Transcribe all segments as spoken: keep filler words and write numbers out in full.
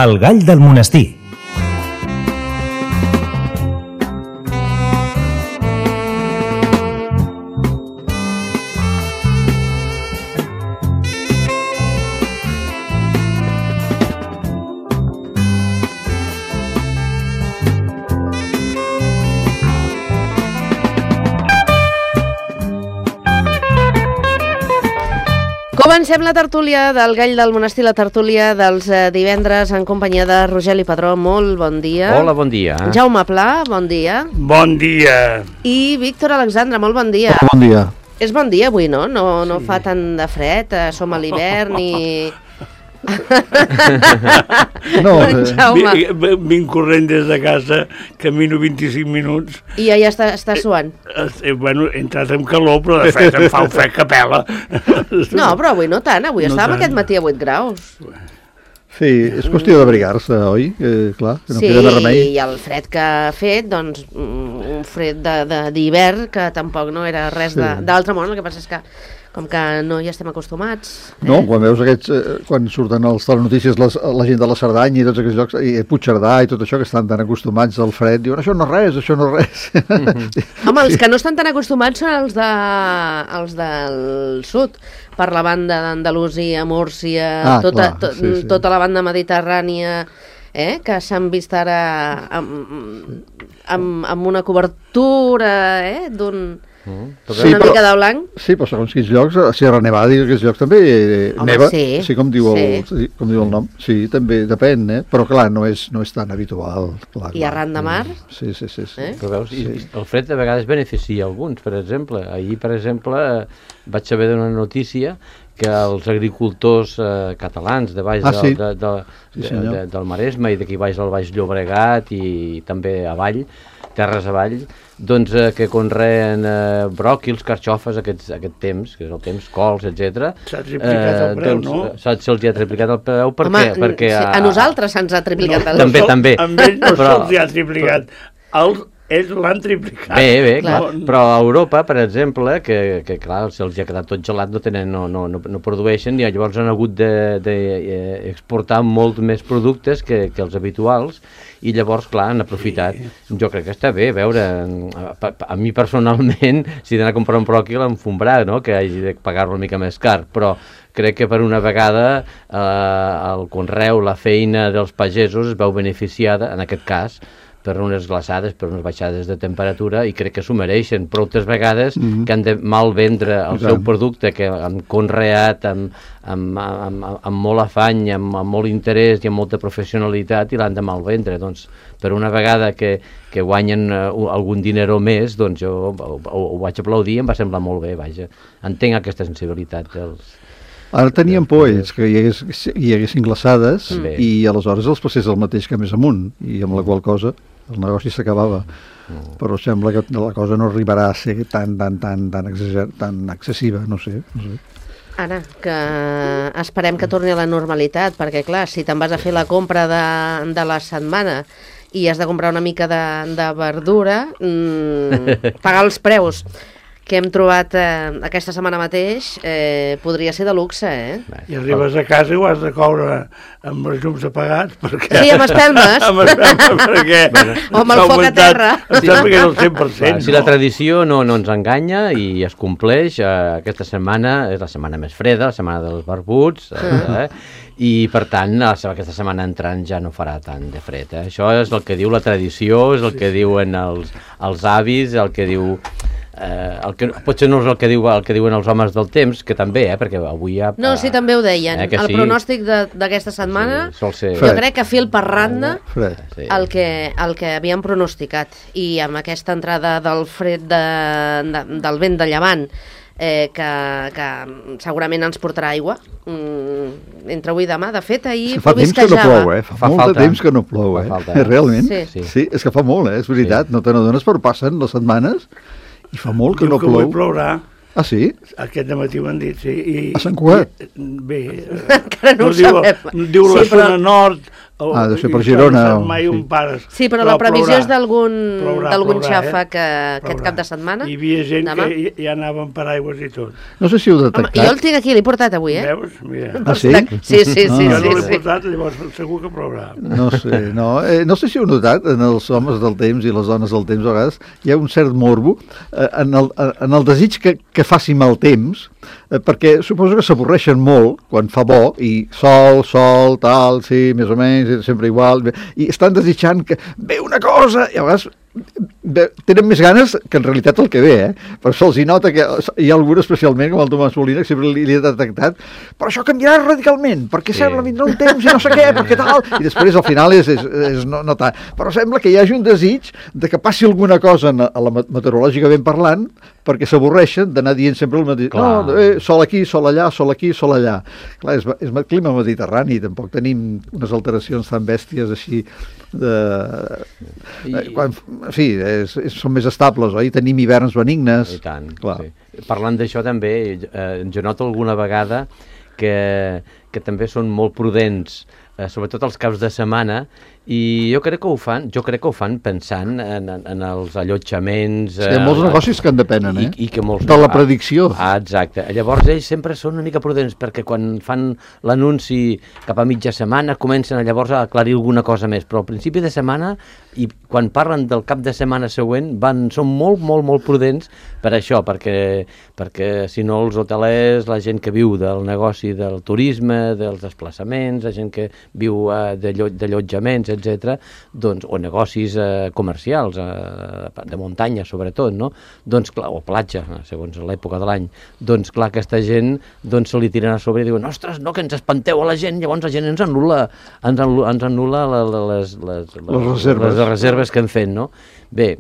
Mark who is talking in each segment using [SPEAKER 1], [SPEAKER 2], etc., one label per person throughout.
[SPEAKER 1] El gall del monestir.
[SPEAKER 2] Comencem la tertúlia del Gall del Monestir, la tertúlia dels eh, divendres en companyia de Rogeli Padró. Molt bon dia.
[SPEAKER 3] Hola, bon dia.
[SPEAKER 2] Jaume Pla, bon dia.
[SPEAKER 4] Bon dia.
[SPEAKER 2] I Víctor Alexandre, molt bon dia.
[SPEAKER 5] Bon dia.
[SPEAKER 2] És bon dia avui, no? No, no sí. Fa tant de fred, eh, som a l'hivern i...
[SPEAKER 5] No,
[SPEAKER 2] eh.
[SPEAKER 4] Vinc corrent des de casa, camino vint-i-cinc minuts.
[SPEAKER 2] I ja, ja està, està suant.
[SPEAKER 4] Eh, eh, bueno, he entrat amb calor, però de fet em fa un fred que pela.
[SPEAKER 2] No, però avui no tant, avui
[SPEAKER 4] no
[SPEAKER 2] estàvem
[SPEAKER 4] tant.
[SPEAKER 2] aquest matí a vuit graus.
[SPEAKER 5] Sí, és qüestió d'abrigar-se, oi? Eh, clar, que no
[SPEAKER 2] sí,
[SPEAKER 5] queda més remei.
[SPEAKER 2] I el fred que ha fet, doncs, un fred d'hivern que tampoc no era res
[SPEAKER 5] Sí.
[SPEAKER 2] d'altre món, el que passa és que com que no hi estem acostumats. Eh?
[SPEAKER 5] No, quan veus aquests, eh, quan surten als telenotícies les, la gent de la Cerdanya i tots aquests llocs, i Puigcerdà i tot això, que estan tan acostumats al fred, diuen, això no és res, això no és res.
[SPEAKER 2] Mm-hmm. Home, els que no estan tan acostumats són els, de, els del sud, per la banda d'Andalusia, Múrcia,
[SPEAKER 5] Ah,
[SPEAKER 2] tota,
[SPEAKER 5] clar,
[SPEAKER 2] to,
[SPEAKER 5] sí, sí.
[SPEAKER 2] tota la banda mediterrània, eh, que s'han vist ara amb, amb, amb una cobertura eh, d'un...
[SPEAKER 3] Mm,
[SPEAKER 5] Sí,
[SPEAKER 2] una
[SPEAKER 5] però-
[SPEAKER 2] mica de blanc.
[SPEAKER 5] Sí, però segons quins llocs, a Sierra Nevada i aquests llocs també eh,
[SPEAKER 2] Home,
[SPEAKER 5] neva,
[SPEAKER 2] sí,
[SPEAKER 5] sí, com diu, el,
[SPEAKER 2] sí.
[SPEAKER 5] sí, com diu el nom. Sí, també depèn, eh? Però clar, no és, no és tan habitual. Clar,
[SPEAKER 2] I
[SPEAKER 5] clar.
[SPEAKER 2] arran de mar?
[SPEAKER 5] Sí, sí, sí. sí.
[SPEAKER 2] Eh?
[SPEAKER 3] Però veus, i,
[SPEAKER 5] Sí.
[SPEAKER 3] i el fred de vegades beneficia alguns, per exemple. Ahir, per exemple, eh, vaig saber d'una notícia que els agricultors eh, catalans de baix
[SPEAKER 5] Ah,
[SPEAKER 3] del,
[SPEAKER 5] sí.
[SPEAKER 3] de, de,
[SPEAKER 5] Sí,
[SPEAKER 3] de,
[SPEAKER 5] senyor.
[SPEAKER 3] de, del Maresme i d'aquí baix del Baix Llobregat i també avall, terres avall, doncs eh, que conreen eh, bròquils, carxofes aquests, aquest temps, que és el temps, cols, etcètera.
[SPEAKER 4] S'ha triplicat el preu,
[SPEAKER 3] doncs,
[SPEAKER 4] no?
[SPEAKER 3] Se'ls se ha triplicat el preu, per
[SPEAKER 2] Home,
[SPEAKER 3] què? Perquè
[SPEAKER 2] sí, a nosaltres se'ns ha triplicat el
[SPEAKER 3] també,
[SPEAKER 4] sol-
[SPEAKER 3] també.
[SPEAKER 4] Amb ells no
[SPEAKER 3] Però-
[SPEAKER 4] se'ls ha triplicat. Els, ells l'han triplicat.
[SPEAKER 3] Bé, bé,
[SPEAKER 2] Clar.
[SPEAKER 3] clar. Però a Europa, per exemple, que, que clar, se'ls ha quedat tot gelat, no, tenen, no, no, no, no produeixen, i llavors han hagut d'exportar de, de, molt més productes que, que els habituals, i llavors, clar, han aprofitat. Sí. Jo crec que està bé, a veure, a, a mi personalment, si he d'anar a comprar un bròquil, em fombrar, no?, que hagi de pagar-lo una mica més car, però crec que per una vegada eh, el conreu, la feina dels pagesos es veu beneficiada, en aquest cas, per unes glaçades, per unes baixades de temperatura, i crec que s'ho mereixen, però altres vegades
[SPEAKER 5] Mhm.
[SPEAKER 3] que han de mal vendre el
[SPEAKER 5] I
[SPEAKER 3] seu
[SPEAKER 5] tant.
[SPEAKER 3] producte, que han conreat amb, amb, amb, amb molt afany, amb, amb molt interès i amb molta professionalitat, i l'han de mal vendre. Doncs, per una vegada que, que guanyen uh, algun dinero més, doncs jo ho, ho, ho vaig aplaudir i em va semblar molt bé, vaja. Entenc aquesta sensibilitat dels...
[SPEAKER 5] Ara tenien por ells que hi, hagués, hi haguessin glaçades
[SPEAKER 3] Bé.
[SPEAKER 5] i aleshores els passés el mateix que més amunt, i amb la qual cosa el negoci s'acabava.
[SPEAKER 3] Mm.
[SPEAKER 5] Però sembla que la cosa no arribarà a ser tan, tan, tan, tan, exager, tan excessiva, no sé. No sé.
[SPEAKER 2] Ara, que esperem que torni a la normalitat, perquè clar, si te'n vas a fer la compra de, de la setmana i has de comprar una mica de, de verdura, mmm, pagar els preus que hem trobat eh, aquesta setmana mateix eh, podria ser de luxe, eh?
[SPEAKER 4] I arribes a casa i ho has de coure amb els llums apagats, perquè...
[SPEAKER 2] Sí, amb espelmes.
[SPEAKER 4] amb espelmes, perquè...
[SPEAKER 2] O amb el
[SPEAKER 4] s'ha
[SPEAKER 2] foc a
[SPEAKER 4] augmentat.
[SPEAKER 2] terra.
[SPEAKER 4] Em sembla que és el cent per cent,
[SPEAKER 3] Clar, si la tradició no, no ens enganya i es compleix, eh, aquesta setmana és la setmana més freda, la setmana dels barbuts, eh, i per tant la, aquesta setmana entrant ja no farà tant de fred. Eh? Això és el que diu la tradició, és el que diuen els, els avis, el que diu... Eh, el que, potser no és el que, diu, el que diuen els homes del temps, que també, eh, perquè avui ja...
[SPEAKER 2] No, sí, també ho deien.
[SPEAKER 3] Eh, que
[SPEAKER 2] el
[SPEAKER 3] sí?
[SPEAKER 2] pronòstic de- d'aquesta setmana,
[SPEAKER 3] Sí, sol ser...
[SPEAKER 2] jo
[SPEAKER 5] Fred.
[SPEAKER 2] crec que fil per randa
[SPEAKER 5] Fred.
[SPEAKER 3] Sí.
[SPEAKER 2] el que, el que havíem pronosticat. I amb aquesta entrada del fred de, de, del vent de llevant, eh, que, que segurament ens portarà aigua, mm, entre avui i demà. De fet, ahir
[SPEAKER 5] Fa temps que no plou, eh? Fa,
[SPEAKER 3] Fa
[SPEAKER 5] molt
[SPEAKER 3] falta.
[SPEAKER 5] de temps que no plou, eh?
[SPEAKER 3] Fa falta, eh?
[SPEAKER 5] Realment.
[SPEAKER 2] Sí.
[SPEAKER 5] Sí. sí, és que fa molt, eh? És veritat.
[SPEAKER 3] Sí.
[SPEAKER 5] No te n'adones, però passen les setmanes i fa molt que
[SPEAKER 4] Diu
[SPEAKER 5] no
[SPEAKER 4] que avui
[SPEAKER 5] plou.
[SPEAKER 4] plourà.
[SPEAKER 5] Ah, sí?
[SPEAKER 4] Aquest dematí ho han dit, sí. I,
[SPEAKER 5] A Sant Cugat?
[SPEAKER 4] i- Bé,
[SPEAKER 2] Encara no ho
[SPEAKER 4] diu,
[SPEAKER 2] sabem.
[SPEAKER 4] diu la
[SPEAKER 2] Sí, però-
[SPEAKER 4] zona nord, El,
[SPEAKER 5] Ah, deu ser per
[SPEAKER 4] i
[SPEAKER 5] Girona,
[SPEAKER 4] No
[SPEAKER 5] o-
[SPEAKER 4] sap mai
[SPEAKER 5] sí.
[SPEAKER 4] on pares.
[SPEAKER 2] Sí, però, la previsió
[SPEAKER 4] plourà.
[SPEAKER 2] és d'algun
[SPEAKER 4] Plourà,
[SPEAKER 2] d'algun
[SPEAKER 4] plourà,
[SPEAKER 2] xafa
[SPEAKER 4] eh?
[SPEAKER 2] que aquest
[SPEAKER 4] Plourà.
[SPEAKER 2] cap de setmana.
[SPEAKER 4] Hi havia gent
[SPEAKER 2] demà.
[SPEAKER 4] que ja anaven per aigües i tot.
[SPEAKER 5] No sé si heu
[SPEAKER 2] Home,
[SPEAKER 5] detectat.
[SPEAKER 2] jo el tinc aquí, l'he portat avui, eh?
[SPEAKER 4] Veus? Mira.
[SPEAKER 5] Ah, sí?
[SPEAKER 2] Sí, sí, sí.
[SPEAKER 5] Ah.
[SPEAKER 2] sí,
[SPEAKER 4] Jo no l'he
[SPEAKER 2] sí.
[SPEAKER 4] portat, llavors segur que plourà.
[SPEAKER 5] No sé, no. Eh, no sé si heu notat, en els homes del temps i les dones del temps, a vegades, hi ha un cert morbo eh, en, el, en el desig que, que faci mal temps, eh, perquè suposo que s'avorreixen molt quan fa bo, i sol, sol, tal, sí, més o menys, sempre igual, i estan desitjant que ve una cosa, i a vegades ve, tenen més ganes que en realitat el que ve, eh? Per això els hi nota que hi ha algú especialment, com el Tomàs Molina, que sempre li, li he detectat, però això canviarà radicalment, perquè
[SPEAKER 3] Sí.
[SPEAKER 5] sembla vindrà un temps i no sé què, perquè tal, i després al final és, és, és no, no tant. Però sembla que hi hagi un desig de que passi alguna cosa en, a la meteorològicament parlant, perquè s'avorreixen d'anar dient sempre el mateix.
[SPEAKER 3] Clar.
[SPEAKER 5] No, eh, sol aquí, sol allà, sol aquí, sol allà. Clar, és, és clima mediterrani, tampoc tenim unes alteracions tan bèsties així de...
[SPEAKER 3] I-
[SPEAKER 5] Quan, en fi, és, és, són més estables, oi? Tenim hiverns benignes.
[SPEAKER 3] I tant,
[SPEAKER 5] Clar.
[SPEAKER 3] sí. Parlant d'això també, eh, jo noto alguna vegada que, que també són molt prudents, eh, sobretot els caps de setmana, i jo crec que ho fan, jo crec que ho fan pensant en, en, en els allotjaments...
[SPEAKER 5] Sí, hi ha molts negocis que en depenen, eh?
[SPEAKER 3] I, i que molts,
[SPEAKER 5] de la predicció.
[SPEAKER 3] Ah, exacte. Llavors ells sempre són una mica prudents, perquè quan fan l'anunci cap a mitja setmana comencen a llavors a aclarir alguna cosa més, però al principi de setmana i quan parlen del cap de setmana següent van, són molt, molt, molt prudents per això, perquè, perquè si no els hotelers, la gent que viu del negoci del turisme, dels desplaçaments, la gent que viu eh, d'allotjaments, etcètera, doncs, o negocis eh, comercials, eh, de muntanya sobretot, no? Doncs clar, o platja, segons l'època de l'any, doncs clar, aquesta gent doncs, se li tiren a sobre i diuen, ostres, no, que ens espanteu a la gent, llavors la gent ens anul·la, ens anul·la, ens anul·la la, la, les, les, les,
[SPEAKER 5] Les reserves.
[SPEAKER 3] les reserves que han fet, no? Bé,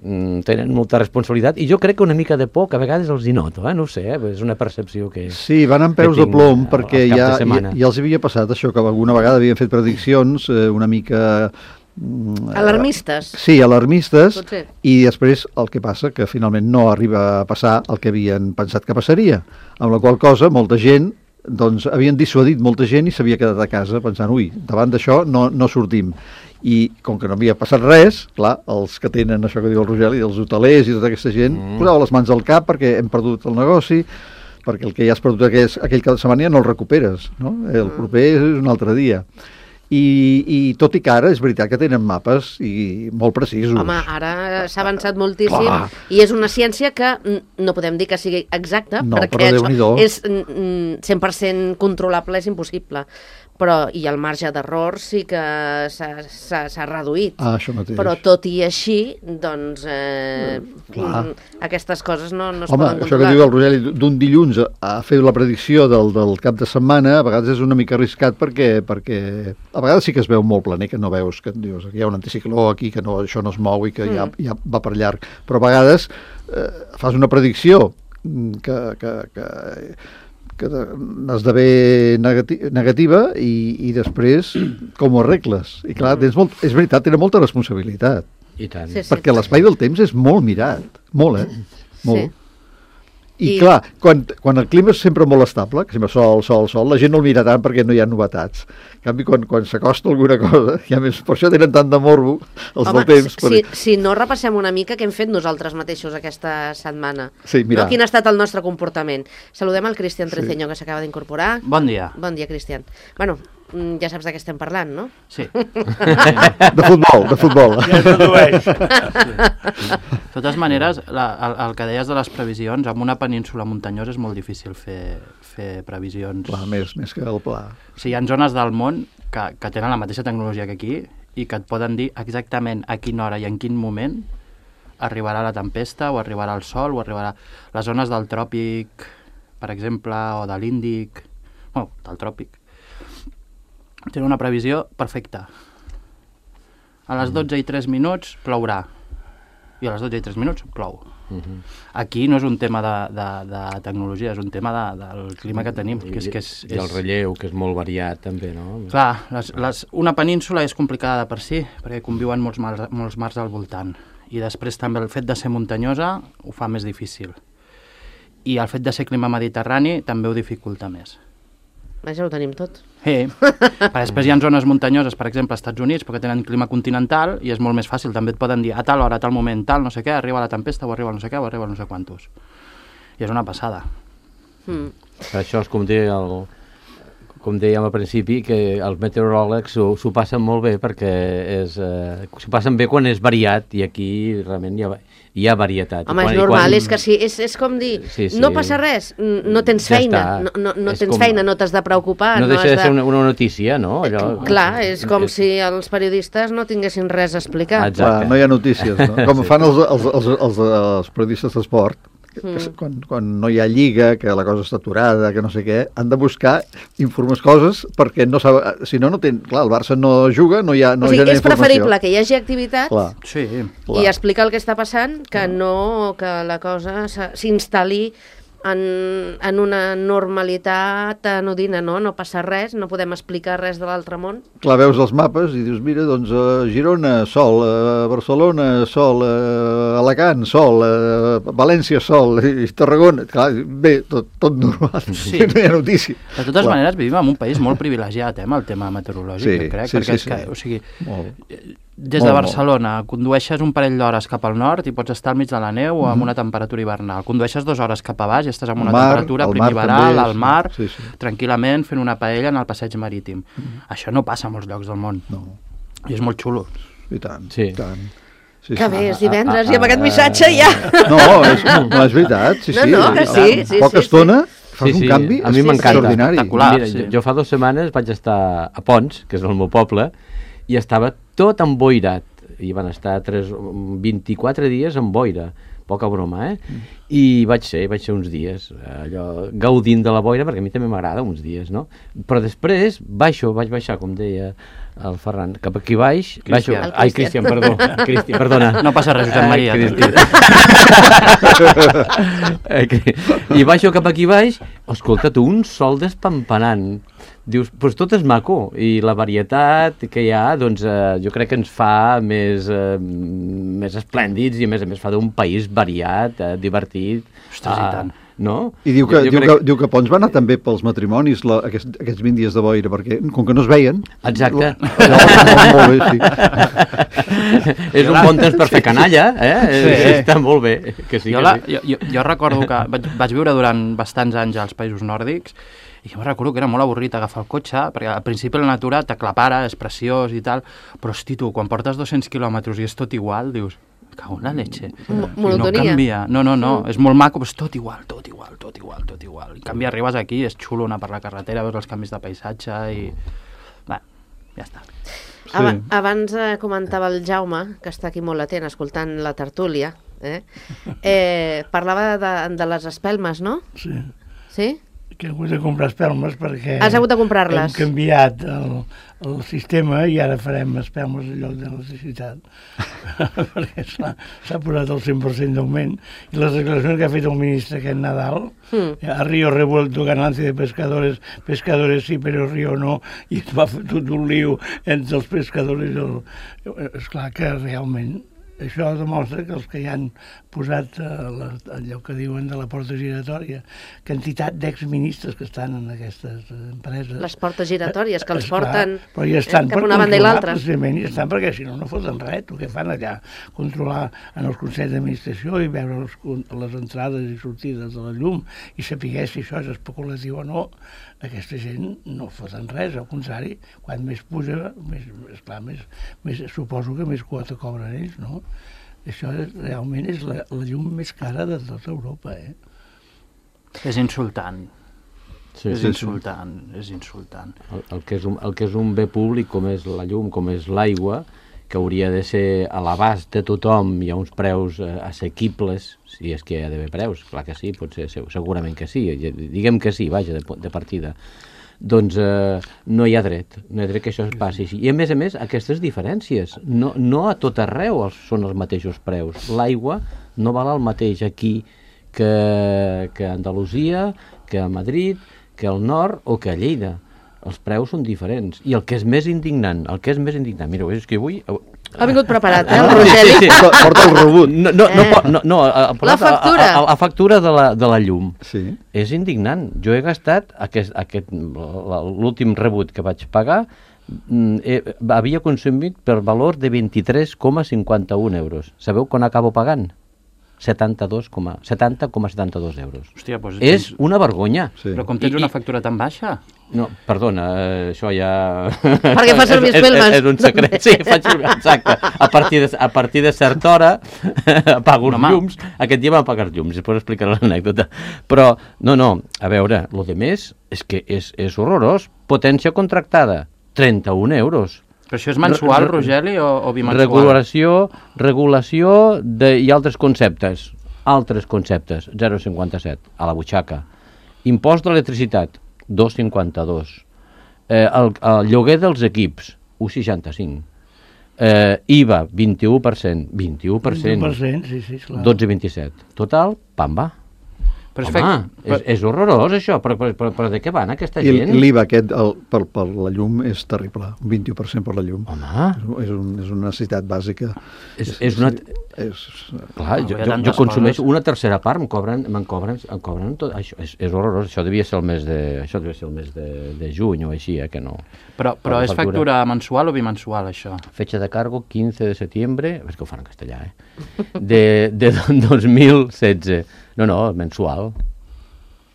[SPEAKER 3] tenen molta responsabilitat i jo crec que una mica de por que a vegades els hi noto, eh? No ho sé, eh? És una percepció que...
[SPEAKER 5] Sí, van amb peus
[SPEAKER 3] que
[SPEAKER 5] de
[SPEAKER 3] tinc
[SPEAKER 5] plom
[SPEAKER 3] al-
[SPEAKER 5] perquè
[SPEAKER 3] al cap
[SPEAKER 5] ja,
[SPEAKER 3] de
[SPEAKER 5] ja,
[SPEAKER 3] setmana.
[SPEAKER 5] ja els havia passat això, que alguna vegada havien fet prediccions eh, una mica... mm,
[SPEAKER 2] Alarmistes.
[SPEAKER 5] Sí, alarmistes,
[SPEAKER 2] Potser.
[SPEAKER 5] i després el que passa que finalment no arriba a passar el que havien pensat que passaria, amb la qual cosa molta gent, doncs havien dissuadit molta gent i s'havia quedat a casa pensant, ui, davant d'això no, no sortim. I com que no havia passat res, clar, els que tenen això que diu el Rogeli, els hotelers i tota aquesta gent, mm. posava les mans al cap perquè hem perdut el negoci, perquè el que ja has perdut aquell, aquell cap de setmana ja no el recuperes, no? El proper és un altre dia. I, i tot i que ara és veritat que tenen mapes i molt precisos.
[SPEAKER 2] Home, ara s'ha avançat moltíssim
[SPEAKER 5] Clar.
[SPEAKER 2] i és una ciència que mm, no podem dir que sigui exacta,
[SPEAKER 5] No,
[SPEAKER 2] perquè
[SPEAKER 5] però
[SPEAKER 2] això
[SPEAKER 5] Déu-n'hi-do.
[SPEAKER 2] és mm, cent per cent controlable, és impossible. Però, i el marge d'error sí que s'ha- s'ha s'ha reduït.
[SPEAKER 5] Ah, això mateix.
[SPEAKER 2] Però tot i així, doncs, eh,
[SPEAKER 5] Clar.
[SPEAKER 2] mm, aquestes coses no, no es
[SPEAKER 5] Home,
[SPEAKER 2] poden
[SPEAKER 5] això que
[SPEAKER 2] controlar.
[SPEAKER 5] diu el Rogeli, d'un dilluns a, a fer la predicció del, del cap de setmana, a vegades és una mica arriscat perquè, perquè a vegades sí que es veu molt planer, que no veus, que dius, aquí hi ha un anticicló aquí, que no, això no es mou i que mm. ja, ja va per llarg. Però a vegades eh, fas una predicció mm, que, que, que, que esdevé negati negativa i, i després com ho arregles? I clar, tens molt, és veritat, tenen molta responsabilitat,
[SPEAKER 3] I tant.
[SPEAKER 2] Sí, sí.
[SPEAKER 5] perquè l'espai del temps és molt mirat, molt, eh? Molt.
[SPEAKER 2] Sí.
[SPEAKER 5] I,
[SPEAKER 2] I-
[SPEAKER 5] clar, quan, quan el clima és sempre molt estable, que sempre sol, sol, sol, la gent no el mira tant perquè no hi ha novetats. En canvi, quan, quan s'acosta alguna cosa, ja més, per això tenen tant de morbo els
[SPEAKER 2] Home,
[SPEAKER 5] del temps.
[SPEAKER 2] si, si no repassem una mica què hem fet nosaltres mateixos aquesta setmana.
[SPEAKER 5] Sí, mira.
[SPEAKER 2] No? Quin ha estat el nostre comportament. Saludem el Cristian Treceño, que s'acaba d'incorporar.
[SPEAKER 1] Bon dia.
[SPEAKER 2] Bon dia, Cristian. Bueno, mm, ja saps de què estem parlant, no?
[SPEAKER 1] Sí.
[SPEAKER 5] De futbol, de futbol.
[SPEAKER 4] Ja es dedueix.
[SPEAKER 1] De totes maneres, la, el, el que deies de les previsions, amb una península muntanyosa és molt difícil fer, fer previsions.
[SPEAKER 5] Clar, més, més que el pla.
[SPEAKER 1] O sigui, hi ha zones del món que, que tenen la mateixa tecnologia que aquí i que et poden dir exactament a quina hora i en quin moment arribarà la tempesta o arribarà el sol o arribarà... Les zones del tròpic, per exemple, o de l'Índic, bueno, del tròpic, tenen una previsió perfecta. A les dotze i tres minuts plourà i a les dotze i tres minuts plou.
[SPEAKER 3] Uh -huh.
[SPEAKER 1] Aquí no és un tema de, de, de tecnologia, és un tema de, del clima que tenim. Que és, que és,
[SPEAKER 3] I el relleu, que és molt variat també, no?
[SPEAKER 1] Clar, les, les, una península és complicada de per si, perquè conviuen molts mars, molts mars al voltant. I després també el fet de ser muntanyosa ho fa més difícil. I el fet de ser clima mediterrani també ho dificulta més.
[SPEAKER 2] Ja ho tenim tot.
[SPEAKER 1] Sí, però després hi ha zones muntanyoses, per exemple, als Estats Units, perquè tenen clima continental i és molt més fàcil, també et poden dir a tal hora, a tal moment, tal, no sé què, arriba la tempesta o arriba no sé què o arriba no sé quantos. I és una passada.
[SPEAKER 2] Mm.
[SPEAKER 3] Per això és com deia el, com dèiem al principi, que els meteoròlegs s'ho passen molt bé perquè és, eh, s'ho passen bé quan és variat i aquí realment hi ha, hi ha varietat.
[SPEAKER 2] Home,
[SPEAKER 3] quan,
[SPEAKER 2] és normal,
[SPEAKER 3] quan...
[SPEAKER 2] és que sí, és, és com dir,
[SPEAKER 3] sí, sí.
[SPEAKER 2] no passa res, no tens
[SPEAKER 3] Ja
[SPEAKER 2] feina,
[SPEAKER 3] està.
[SPEAKER 2] no, no, no
[SPEAKER 3] És
[SPEAKER 2] tens
[SPEAKER 3] com...
[SPEAKER 2] feina, no t'has de preocupar.
[SPEAKER 3] No,
[SPEAKER 2] no
[SPEAKER 3] deixa
[SPEAKER 2] has
[SPEAKER 3] de ser una, una notícia, no? Allò...
[SPEAKER 2] Clar, és com si els periodistes no tinguessin res a explicar.
[SPEAKER 3] Exacte.
[SPEAKER 5] Clar, no hi ha notícies, no? Com fan els, els, els, els, els periodistes d'esport,
[SPEAKER 2] Mm.
[SPEAKER 5] quan, quan no hi ha lliga, que la cosa està aturada, que no sé què, han de buscar informes coses perquè no sab... si no, no ten... clar, el Barça no juga, no hi ha, no
[SPEAKER 2] O sigui,
[SPEAKER 5] genera
[SPEAKER 2] és preferible que hi hagi activitat
[SPEAKER 5] Clar,
[SPEAKER 1] Sí,
[SPEAKER 5] clar.
[SPEAKER 2] i explicar el que està passant que no que la cosa s- s'instal·li en, en una normalitat anodina, no? No passa res, no podem explicar res de l'altre món.
[SPEAKER 5] Clar, veus els mapes i dius, mira, doncs a Girona, sol, a Barcelona, sol, a Alacant, sol, a València, sol, i Tarragona, clar, bé, tot, tot normal,
[SPEAKER 1] Sí.
[SPEAKER 5] no hi ha notícia.
[SPEAKER 1] de totes
[SPEAKER 5] Clar.
[SPEAKER 1] maneres vivim en un país molt privilegiat, eh, amb el tema meteorològic,
[SPEAKER 5] Sí,
[SPEAKER 1] jo crec,
[SPEAKER 5] sí,
[SPEAKER 1] perquè
[SPEAKER 5] sí,
[SPEAKER 1] és que,
[SPEAKER 5] sí.
[SPEAKER 1] o sigui,
[SPEAKER 5] Molt.
[SPEAKER 1] des
[SPEAKER 5] Molt,
[SPEAKER 1] de
[SPEAKER 5] molt.
[SPEAKER 1] Barcelona condueixes un parell d'hores cap al nord i pots estar al mig de la neu o amb una temperatura hivernal. Condueixes dues hores cap a baix i estàs amb
[SPEAKER 5] Al
[SPEAKER 1] una
[SPEAKER 5] mar,
[SPEAKER 1] temperatura
[SPEAKER 5] al mar
[SPEAKER 1] primaveral,
[SPEAKER 5] també,
[SPEAKER 1] al
[SPEAKER 5] sí.
[SPEAKER 1] mar,
[SPEAKER 5] Sí, sí.
[SPEAKER 1] tranquil·lament fent una paella en el passeig marítim. Això no passa a molts llocs del món.
[SPEAKER 5] No,
[SPEAKER 1] I és molt xulo.
[SPEAKER 5] i tant,
[SPEAKER 3] Sí.
[SPEAKER 5] i tant. Sí,
[SPEAKER 2] Que
[SPEAKER 5] sí.
[SPEAKER 2] bé, és divendres
[SPEAKER 3] ah,
[SPEAKER 2] i amb aquest
[SPEAKER 3] ah,
[SPEAKER 2] missatge ja...
[SPEAKER 5] No, és, no, és veritat, sí,
[SPEAKER 2] No,
[SPEAKER 5] sí.
[SPEAKER 2] no, que
[SPEAKER 5] En
[SPEAKER 2] sí, sí,
[SPEAKER 5] poca
[SPEAKER 2] sí,
[SPEAKER 5] estona fas
[SPEAKER 3] Sí, sí,
[SPEAKER 5] un canvi
[SPEAKER 3] a mi m'encanta.
[SPEAKER 5] extraordinari.
[SPEAKER 1] Espectacular.
[SPEAKER 3] Mira,
[SPEAKER 1] sí.
[SPEAKER 3] jo, jo fa dues setmanes vaig estar a Pons, que és el meu poble, i estava tot emboirat. I van estar tres, vint-i-quatre dies en boira. Poca broma, eh? I vaig ser, vaig ser uns dies, allò, gaudint de la boira, perquè a mi també m'agrada uns dies, no? Però després baixo, vaig baixar, com deia el Ferran, cap aquí baix... Baixo,
[SPEAKER 1] Cristian.
[SPEAKER 2] El
[SPEAKER 3] ai,
[SPEAKER 2] Cristian.
[SPEAKER 3] Cristian, perdó. Cristian, perdona.
[SPEAKER 1] No passa res, Josep
[SPEAKER 3] Ai,
[SPEAKER 1] Maria.
[SPEAKER 3] Cristian. Eh, que- I baixo cap aquí baix, escolta't, un sol despampanant. Dius, doncs tot és maco, i la varietat que hi ha, doncs eh, jo crec que ens fa més, eh, més esplèndids i a més a més fa d'un país variat, eh, divertit.
[SPEAKER 1] Ostres, i
[SPEAKER 3] eh,
[SPEAKER 1] tant.
[SPEAKER 3] No?
[SPEAKER 5] I diu que,
[SPEAKER 3] Jo- jo
[SPEAKER 5] diu,
[SPEAKER 3] crec-
[SPEAKER 5] que, diu que Pons va anar també pels matrimonis la, aquests, aquests vint dies de boira, perquè com que no es veien...
[SPEAKER 3] Exacte.
[SPEAKER 5] Allò, molt, molt bé, sí.
[SPEAKER 3] És un bon temps per fer canalla, eh?
[SPEAKER 1] Sí.
[SPEAKER 3] Està molt bé. Que sí,
[SPEAKER 1] jo,
[SPEAKER 3] que
[SPEAKER 1] la,
[SPEAKER 3] sí.
[SPEAKER 1] jo, jo, jo recordo que vaig, vaig viure durant bastants anys als països nòrdics i jo recordo que era molt avorrit agafar el cotxe perquè al principi la natura t'aclapara, és preciós i tal, però hosti tu, quan portes dos-cents quilòmetres i és tot igual, dius, cago en la leche.
[SPEAKER 2] Mo-
[SPEAKER 1] I no
[SPEAKER 2] monotonia.
[SPEAKER 1] canvia. No, no, no, és molt maco, però és tot igual, tot igual, tot igual, tot igual. En canvi arribes aquí, és xulo anar per la carretera, veus els canvis de paisatge i... Bé, ja està.
[SPEAKER 5] Sí.
[SPEAKER 2] Aba abans eh, comentava el Jaume, que està aquí molt atent, escoltant la tertúlia, eh? Eh, parlava de, de les espelmes, no?
[SPEAKER 4] Sí,
[SPEAKER 2] Sí?
[SPEAKER 4] que he hagut de comprar espelmes perquè...
[SPEAKER 2] Has hagut de comprar-les.
[SPEAKER 4] Hem canviat el, el sistema i ara farem espelmes en lloc d'electricitat. perquè s'ha posat el cent per cent d'augment. I les declaracions que ha fet el ministre aquest Nadal,
[SPEAKER 2] Mm.
[SPEAKER 4] a Río revuelto ganancia de pescadores, pescadores sí, però Río no, i es va fer tot un lío entre els pescadors i el... Esclar que realment això demostra que els que hi han posat eh, la, allò que diuen de la porta giratòria, quantitat d'exministres que estan en aquestes eh, empreses.
[SPEAKER 2] Les portes giratòries, que els
[SPEAKER 4] Esclar,
[SPEAKER 2] porten
[SPEAKER 4] però hi estan
[SPEAKER 2] eh, cap
[SPEAKER 4] per
[SPEAKER 2] una banda i
[SPEAKER 4] controlar,
[SPEAKER 2] l'altra.
[SPEAKER 4] precisament, hi estan perquè si no, no foten res. El que fan allà, controlar en els consells d'administració i veure els, les entrades i sortides de la llum i saber si això és especulatiu o no, aquesta gent no foten res, al contrari, quan més puja, més, esclar, més, més, suposo que més quota cobren ells, no? Això és, realment és la, la llum més cara de tota Europa, eh?
[SPEAKER 1] És insultant.
[SPEAKER 3] Sí,
[SPEAKER 1] és
[SPEAKER 3] sí, sí.
[SPEAKER 1] insultant, és insultant.
[SPEAKER 3] El, el, que és un, el que és un bé públic, com és la llum, com és l'aigua, que hauria de ser a l'abast de tothom i a uns preus eh, assequibles, si és que hi ha d'haver preus, clar que sí, potser, segurament que sí, diguem que sí, vaja, de, de partida, doncs eh, no hi ha dret, no hi ha dret que això es passi així. I a més a més, aquestes diferències, no, no a tot arreu els, són els mateixos preus. L'aigua no val el mateix aquí que, que a Andalusia, que a Madrid, que al nord o que a Lleida. Els preus són diferents. I el que és més indignant, el que és més indignant, mireu, és que avui,
[SPEAKER 2] Ha vingut preparat, eh, el
[SPEAKER 3] Sí,
[SPEAKER 2] Rogeli?
[SPEAKER 3] sí, sí.
[SPEAKER 5] Porta el rebut.
[SPEAKER 3] No, no, no,
[SPEAKER 2] Eh.
[SPEAKER 3] po- no, no, a- a-
[SPEAKER 2] La factura.
[SPEAKER 3] A, a, a factura de la, de la llum.
[SPEAKER 5] Sí.
[SPEAKER 3] És indignant. Jo he gastat aquest, aquest, l'últim rebut que vaig pagar, mm, he, havia consumit per valor de vint-i-tres coma cinquanta-un euros. Sabeu quan acabo pagant? setanta-dos coma setanta-dos euros.
[SPEAKER 1] Hòstia, doncs...
[SPEAKER 3] És una vergonya.
[SPEAKER 5] Sí.
[SPEAKER 1] Però com tens
[SPEAKER 3] I-
[SPEAKER 1] una
[SPEAKER 3] i-
[SPEAKER 1] factura tan baixa?
[SPEAKER 3] No, perdona, eh, això ja...
[SPEAKER 2] Perquè fa servir
[SPEAKER 3] És- és-
[SPEAKER 2] espelmes.
[SPEAKER 3] És un secret, sí, faig servir, exacte. A partir de, a partir de certa hora apago els
[SPEAKER 1] Home.
[SPEAKER 3] llums. Aquest dia vam apagar els llums, després explicaré l'anècdota. Però, no, no, a veure, el de més és que és, és horrorós. Potència contractada, trenta-un euros.
[SPEAKER 1] Però això és mensual,
[SPEAKER 3] Re- re-
[SPEAKER 1] Rogeli, o, o bimensual?
[SPEAKER 3] Regulació, regulació de, i altres conceptes. Altres conceptes, zero coma cinquanta-set, a la butxaca. Impost d'electricitat, dos coma cinquanta-dos. Eh, el, el lloguer dels equips, un coma seixanta-cinc. Eh, I V A, vint-i-u per cent. vint-i-u per cent.
[SPEAKER 4] vint per cent, sí, sí, clar.
[SPEAKER 3] dotze coma vint-i-set. Total, pam, va.
[SPEAKER 1] Però és
[SPEAKER 3] Home,
[SPEAKER 1] fec-
[SPEAKER 3] és, és horrorós això, però, però, però, però de què van aquesta
[SPEAKER 5] I
[SPEAKER 3] gent?
[SPEAKER 5] l'I V A aquest el, per, per la llum és terrible, un vint-i-u per cent per la llum.
[SPEAKER 3] Home,
[SPEAKER 5] És, un, és una necessitat bàsica.
[SPEAKER 3] és, és una...
[SPEAKER 5] És,
[SPEAKER 3] Clar,
[SPEAKER 1] No,
[SPEAKER 3] jo,
[SPEAKER 1] hi ha
[SPEAKER 3] jo, jo
[SPEAKER 1] tantes
[SPEAKER 3] consumeixo
[SPEAKER 1] coses.
[SPEAKER 3] una tercera part, em cobren, em cobren, em cobren tot, això és, és horrorós, això devia ser el mes de, això devia ser el mes de, de juny o així, eh, que no.
[SPEAKER 1] Però, però
[SPEAKER 3] La
[SPEAKER 1] és factura mensual o bimensual, això?
[SPEAKER 3] Fecha de cargo quinze de setembre, és que ho fan en castellà, eh? De, de dos mil setze. No, no, mensual.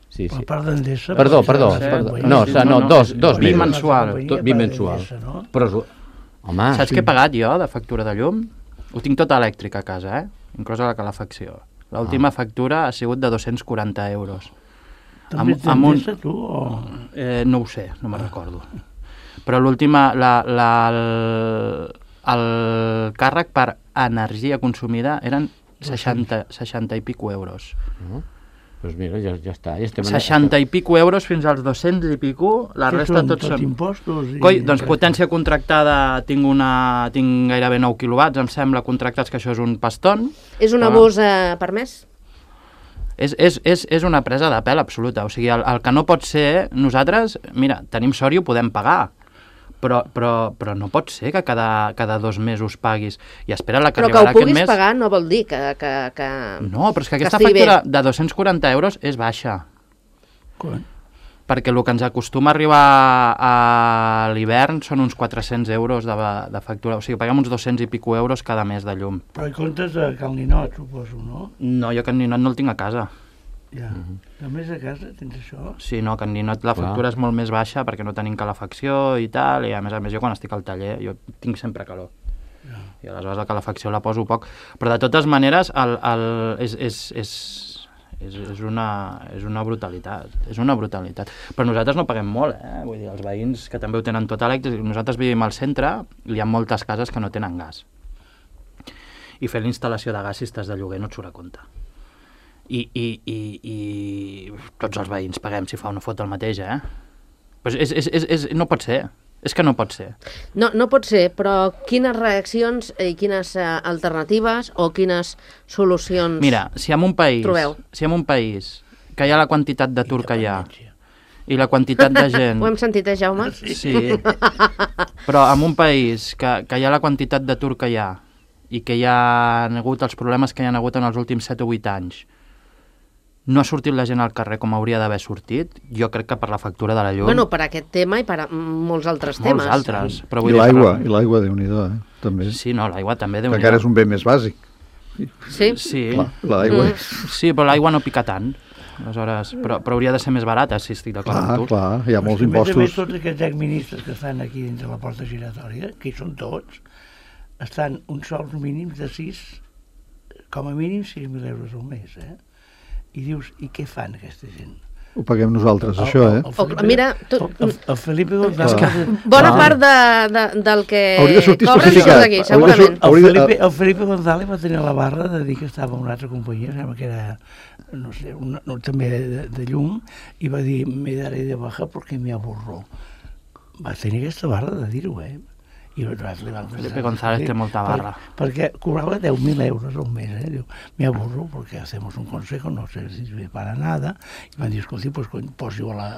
[SPEAKER 3] Sí,
[SPEAKER 4] Per
[SPEAKER 3] sí.
[SPEAKER 4] part d'Endesa...
[SPEAKER 3] Perdó,
[SPEAKER 4] per
[SPEAKER 3] perdó,
[SPEAKER 4] part de-
[SPEAKER 3] perdó.
[SPEAKER 4] de-
[SPEAKER 3] No,
[SPEAKER 1] sí,
[SPEAKER 3] sa-
[SPEAKER 1] no,
[SPEAKER 3] no,
[SPEAKER 1] no,
[SPEAKER 3] dos,
[SPEAKER 1] és
[SPEAKER 3] dos mesos.
[SPEAKER 1] bimensual.
[SPEAKER 4] companyia
[SPEAKER 3] Do- bimensual.
[SPEAKER 4] d'Endesa, no?
[SPEAKER 3] Però, és- home,
[SPEAKER 1] Saps què he pagat jo de factura de llum? Ho tinc tota elèctrica a casa, eh? Inclosa la calefacció. L'última
[SPEAKER 3] Ah.
[SPEAKER 1] factura ha sigut de dos-cents quaranta euros.
[SPEAKER 4] També
[SPEAKER 1] Amb- amb un-
[SPEAKER 4] d'Endesa, tu, o...
[SPEAKER 1] Eh, no ho sé, no me'n recordo. Però l'última, la, la, el, el càrrec per energia consumida eren seixanta, seixanta i pico euros.
[SPEAKER 3] no? Doncs mira, ja, ja està. Ja estem en-
[SPEAKER 1] seixanta i pico euros fins als dos-cents i pico, la
[SPEAKER 4] Què
[SPEAKER 1] resta
[SPEAKER 4] són,
[SPEAKER 1] tots
[SPEAKER 4] tot
[SPEAKER 1] són...
[SPEAKER 4] impostos? I...
[SPEAKER 1] Coi, doncs potència contractada, tinc, una, tinc gairebé nou quilowatts, em sembla, contractats, que això és un paston.
[SPEAKER 2] És un
[SPEAKER 1] Ah.
[SPEAKER 2] abús eh, per mes?
[SPEAKER 1] És, és, és, és una presa de pèl absoluta. O sigui, el, el que no pot ser... Nosaltres, mira, tenim sort i ho podem pagar, però, però, però no pot ser que cada, cada dos mesos paguis. I espera la que
[SPEAKER 2] Però que ho
[SPEAKER 1] arribarà aquest
[SPEAKER 2] puguis
[SPEAKER 1] mes...
[SPEAKER 2] pagar no vol dir que... que, que...
[SPEAKER 1] No, però és que aquesta
[SPEAKER 2] estigui bé.
[SPEAKER 1] factura de dos-cents quaranta euros és baixa.
[SPEAKER 4] Quan?
[SPEAKER 1] Perquè el que ens acostuma a arribar a l'hivern són uns quatre-cents euros de, de factura. O sigui, paguem uns dos-cents i pico euros cada mes de llum.
[SPEAKER 4] Però hi comptes a Cal Ninot, suposo, no?
[SPEAKER 1] No, jo que Ninot no el tinc a casa.
[SPEAKER 4] Ja. A més a casa tens això?
[SPEAKER 1] Sí, no, que en Ninot la
[SPEAKER 3] Clar.
[SPEAKER 1] factura és molt més baixa perquè no tenim calefacció i tal, i a més a més jo quan estic al taller jo tinc sempre calor. I aleshores la calefacció la poso poc. Però de totes maneres el, el, és, és, és, és, és, una, és una brutalitat, és una brutalitat. Però nosaltres no paguem molt, eh? Vull dir, els veïns que també ho tenen tot elèctric, nosaltres vivim al centre i hi ha moltes cases que no tenen gas. I fer la instal·lació de gas si estàs de lloguer no et surt a compte. I, i, i, i tots els veïns paguem si fa o no fot el mateix, eh? Pues és, és, és, és, no pot ser, és que no pot ser.
[SPEAKER 2] No, no pot ser, però quines reaccions i quines eh, alternatives o quines solucions...
[SPEAKER 1] Mira, si en un país,
[SPEAKER 2] Trobeu.
[SPEAKER 1] si en un país que hi ha la quantitat d'atur que hi ha i la quantitat de gent...
[SPEAKER 2] Ho hem sentit, eh, Jaume?
[SPEAKER 1] Sí, però en un país que, que hi ha la quantitat d'atur que hi ha i que hi ha hagut els problemes que hi ha hagut en els últims set o vuit anys, no ha sortit la gent al carrer com hauria d'haver sortit, jo crec que per la factura de la llum...
[SPEAKER 2] Bueno, per aquest tema i per a molts altres temes.
[SPEAKER 1] molts altres. Però
[SPEAKER 5] I
[SPEAKER 1] vull dir,
[SPEAKER 5] l'aigua,
[SPEAKER 1] per-
[SPEAKER 5] i l'aigua, Déu-n'hi-do, eh? També.
[SPEAKER 1] Sí, no, l'aigua també,
[SPEAKER 5] Que
[SPEAKER 1] déu
[SPEAKER 5] encara és un bé més bàsic.
[SPEAKER 2] Sí?
[SPEAKER 1] Sí,
[SPEAKER 5] Clar, l'aigua
[SPEAKER 2] Mm.
[SPEAKER 5] és...
[SPEAKER 1] sí, però l'aigua no pica tant. Aleshores, però, però hauria de ser més barata, si estic d'acord
[SPEAKER 5] Clar,
[SPEAKER 1] amb tu.
[SPEAKER 5] clar, hi ha molts
[SPEAKER 4] A més a més,
[SPEAKER 5] impostos.
[SPEAKER 4] tots aquests exministres que estan aquí dins de la porta giratòria, que hi són tots, estan uns sous mínims de sis, com a mínim sis mil euros al mes, eh? I dius, i què fan aquesta gent?
[SPEAKER 5] Ho paguem nosaltres,
[SPEAKER 4] El-
[SPEAKER 5] això,
[SPEAKER 4] el-
[SPEAKER 5] eh?
[SPEAKER 4] el
[SPEAKER 2] O-
[SPEAKER 4] Felipe-
[SPEAKER 2] mira, tu-
[SPEAKER 4] el, el, el Felipe González...
[SPEAKER 5] Clar.
[SPEAKER 2] Bona
[SPEAKER 3] Ah.
[SPEAKER 2] part de, de, del que
[SPEAKER 5] Hauria de sortir
[SPEAKER 2] cobren
[SPEAKER 5] especificat.
[SPEAKER 2] surt d'aquí,
[SPEAKER 5] Hauria de
[SPEAKER 2] segurament.
[SPEAKER 5] sort-
[SPEAKER 4] El
[SPEAKER 5] Hauria de-
[SPEAKER 4] Felipe, el Felipe González va tenir la barra de dir que estava en una altra companyia, sembla que era, no sé, una, no, també de, de llum, i va dir, me daré de baja perquè me avorró. Va tenir aquesta barra de dir-ho, eh? I nosaltres li vam
[SPEAKER 1] Felipe González té molta barra.
[SPEAKER 4] Per, perquè cobrava deu mil euros al mes, eh? Diu, me aburro porque hacemos un consejo, no sé si sirve para nada. I van dir, escolti, pues, posi-ho a, la,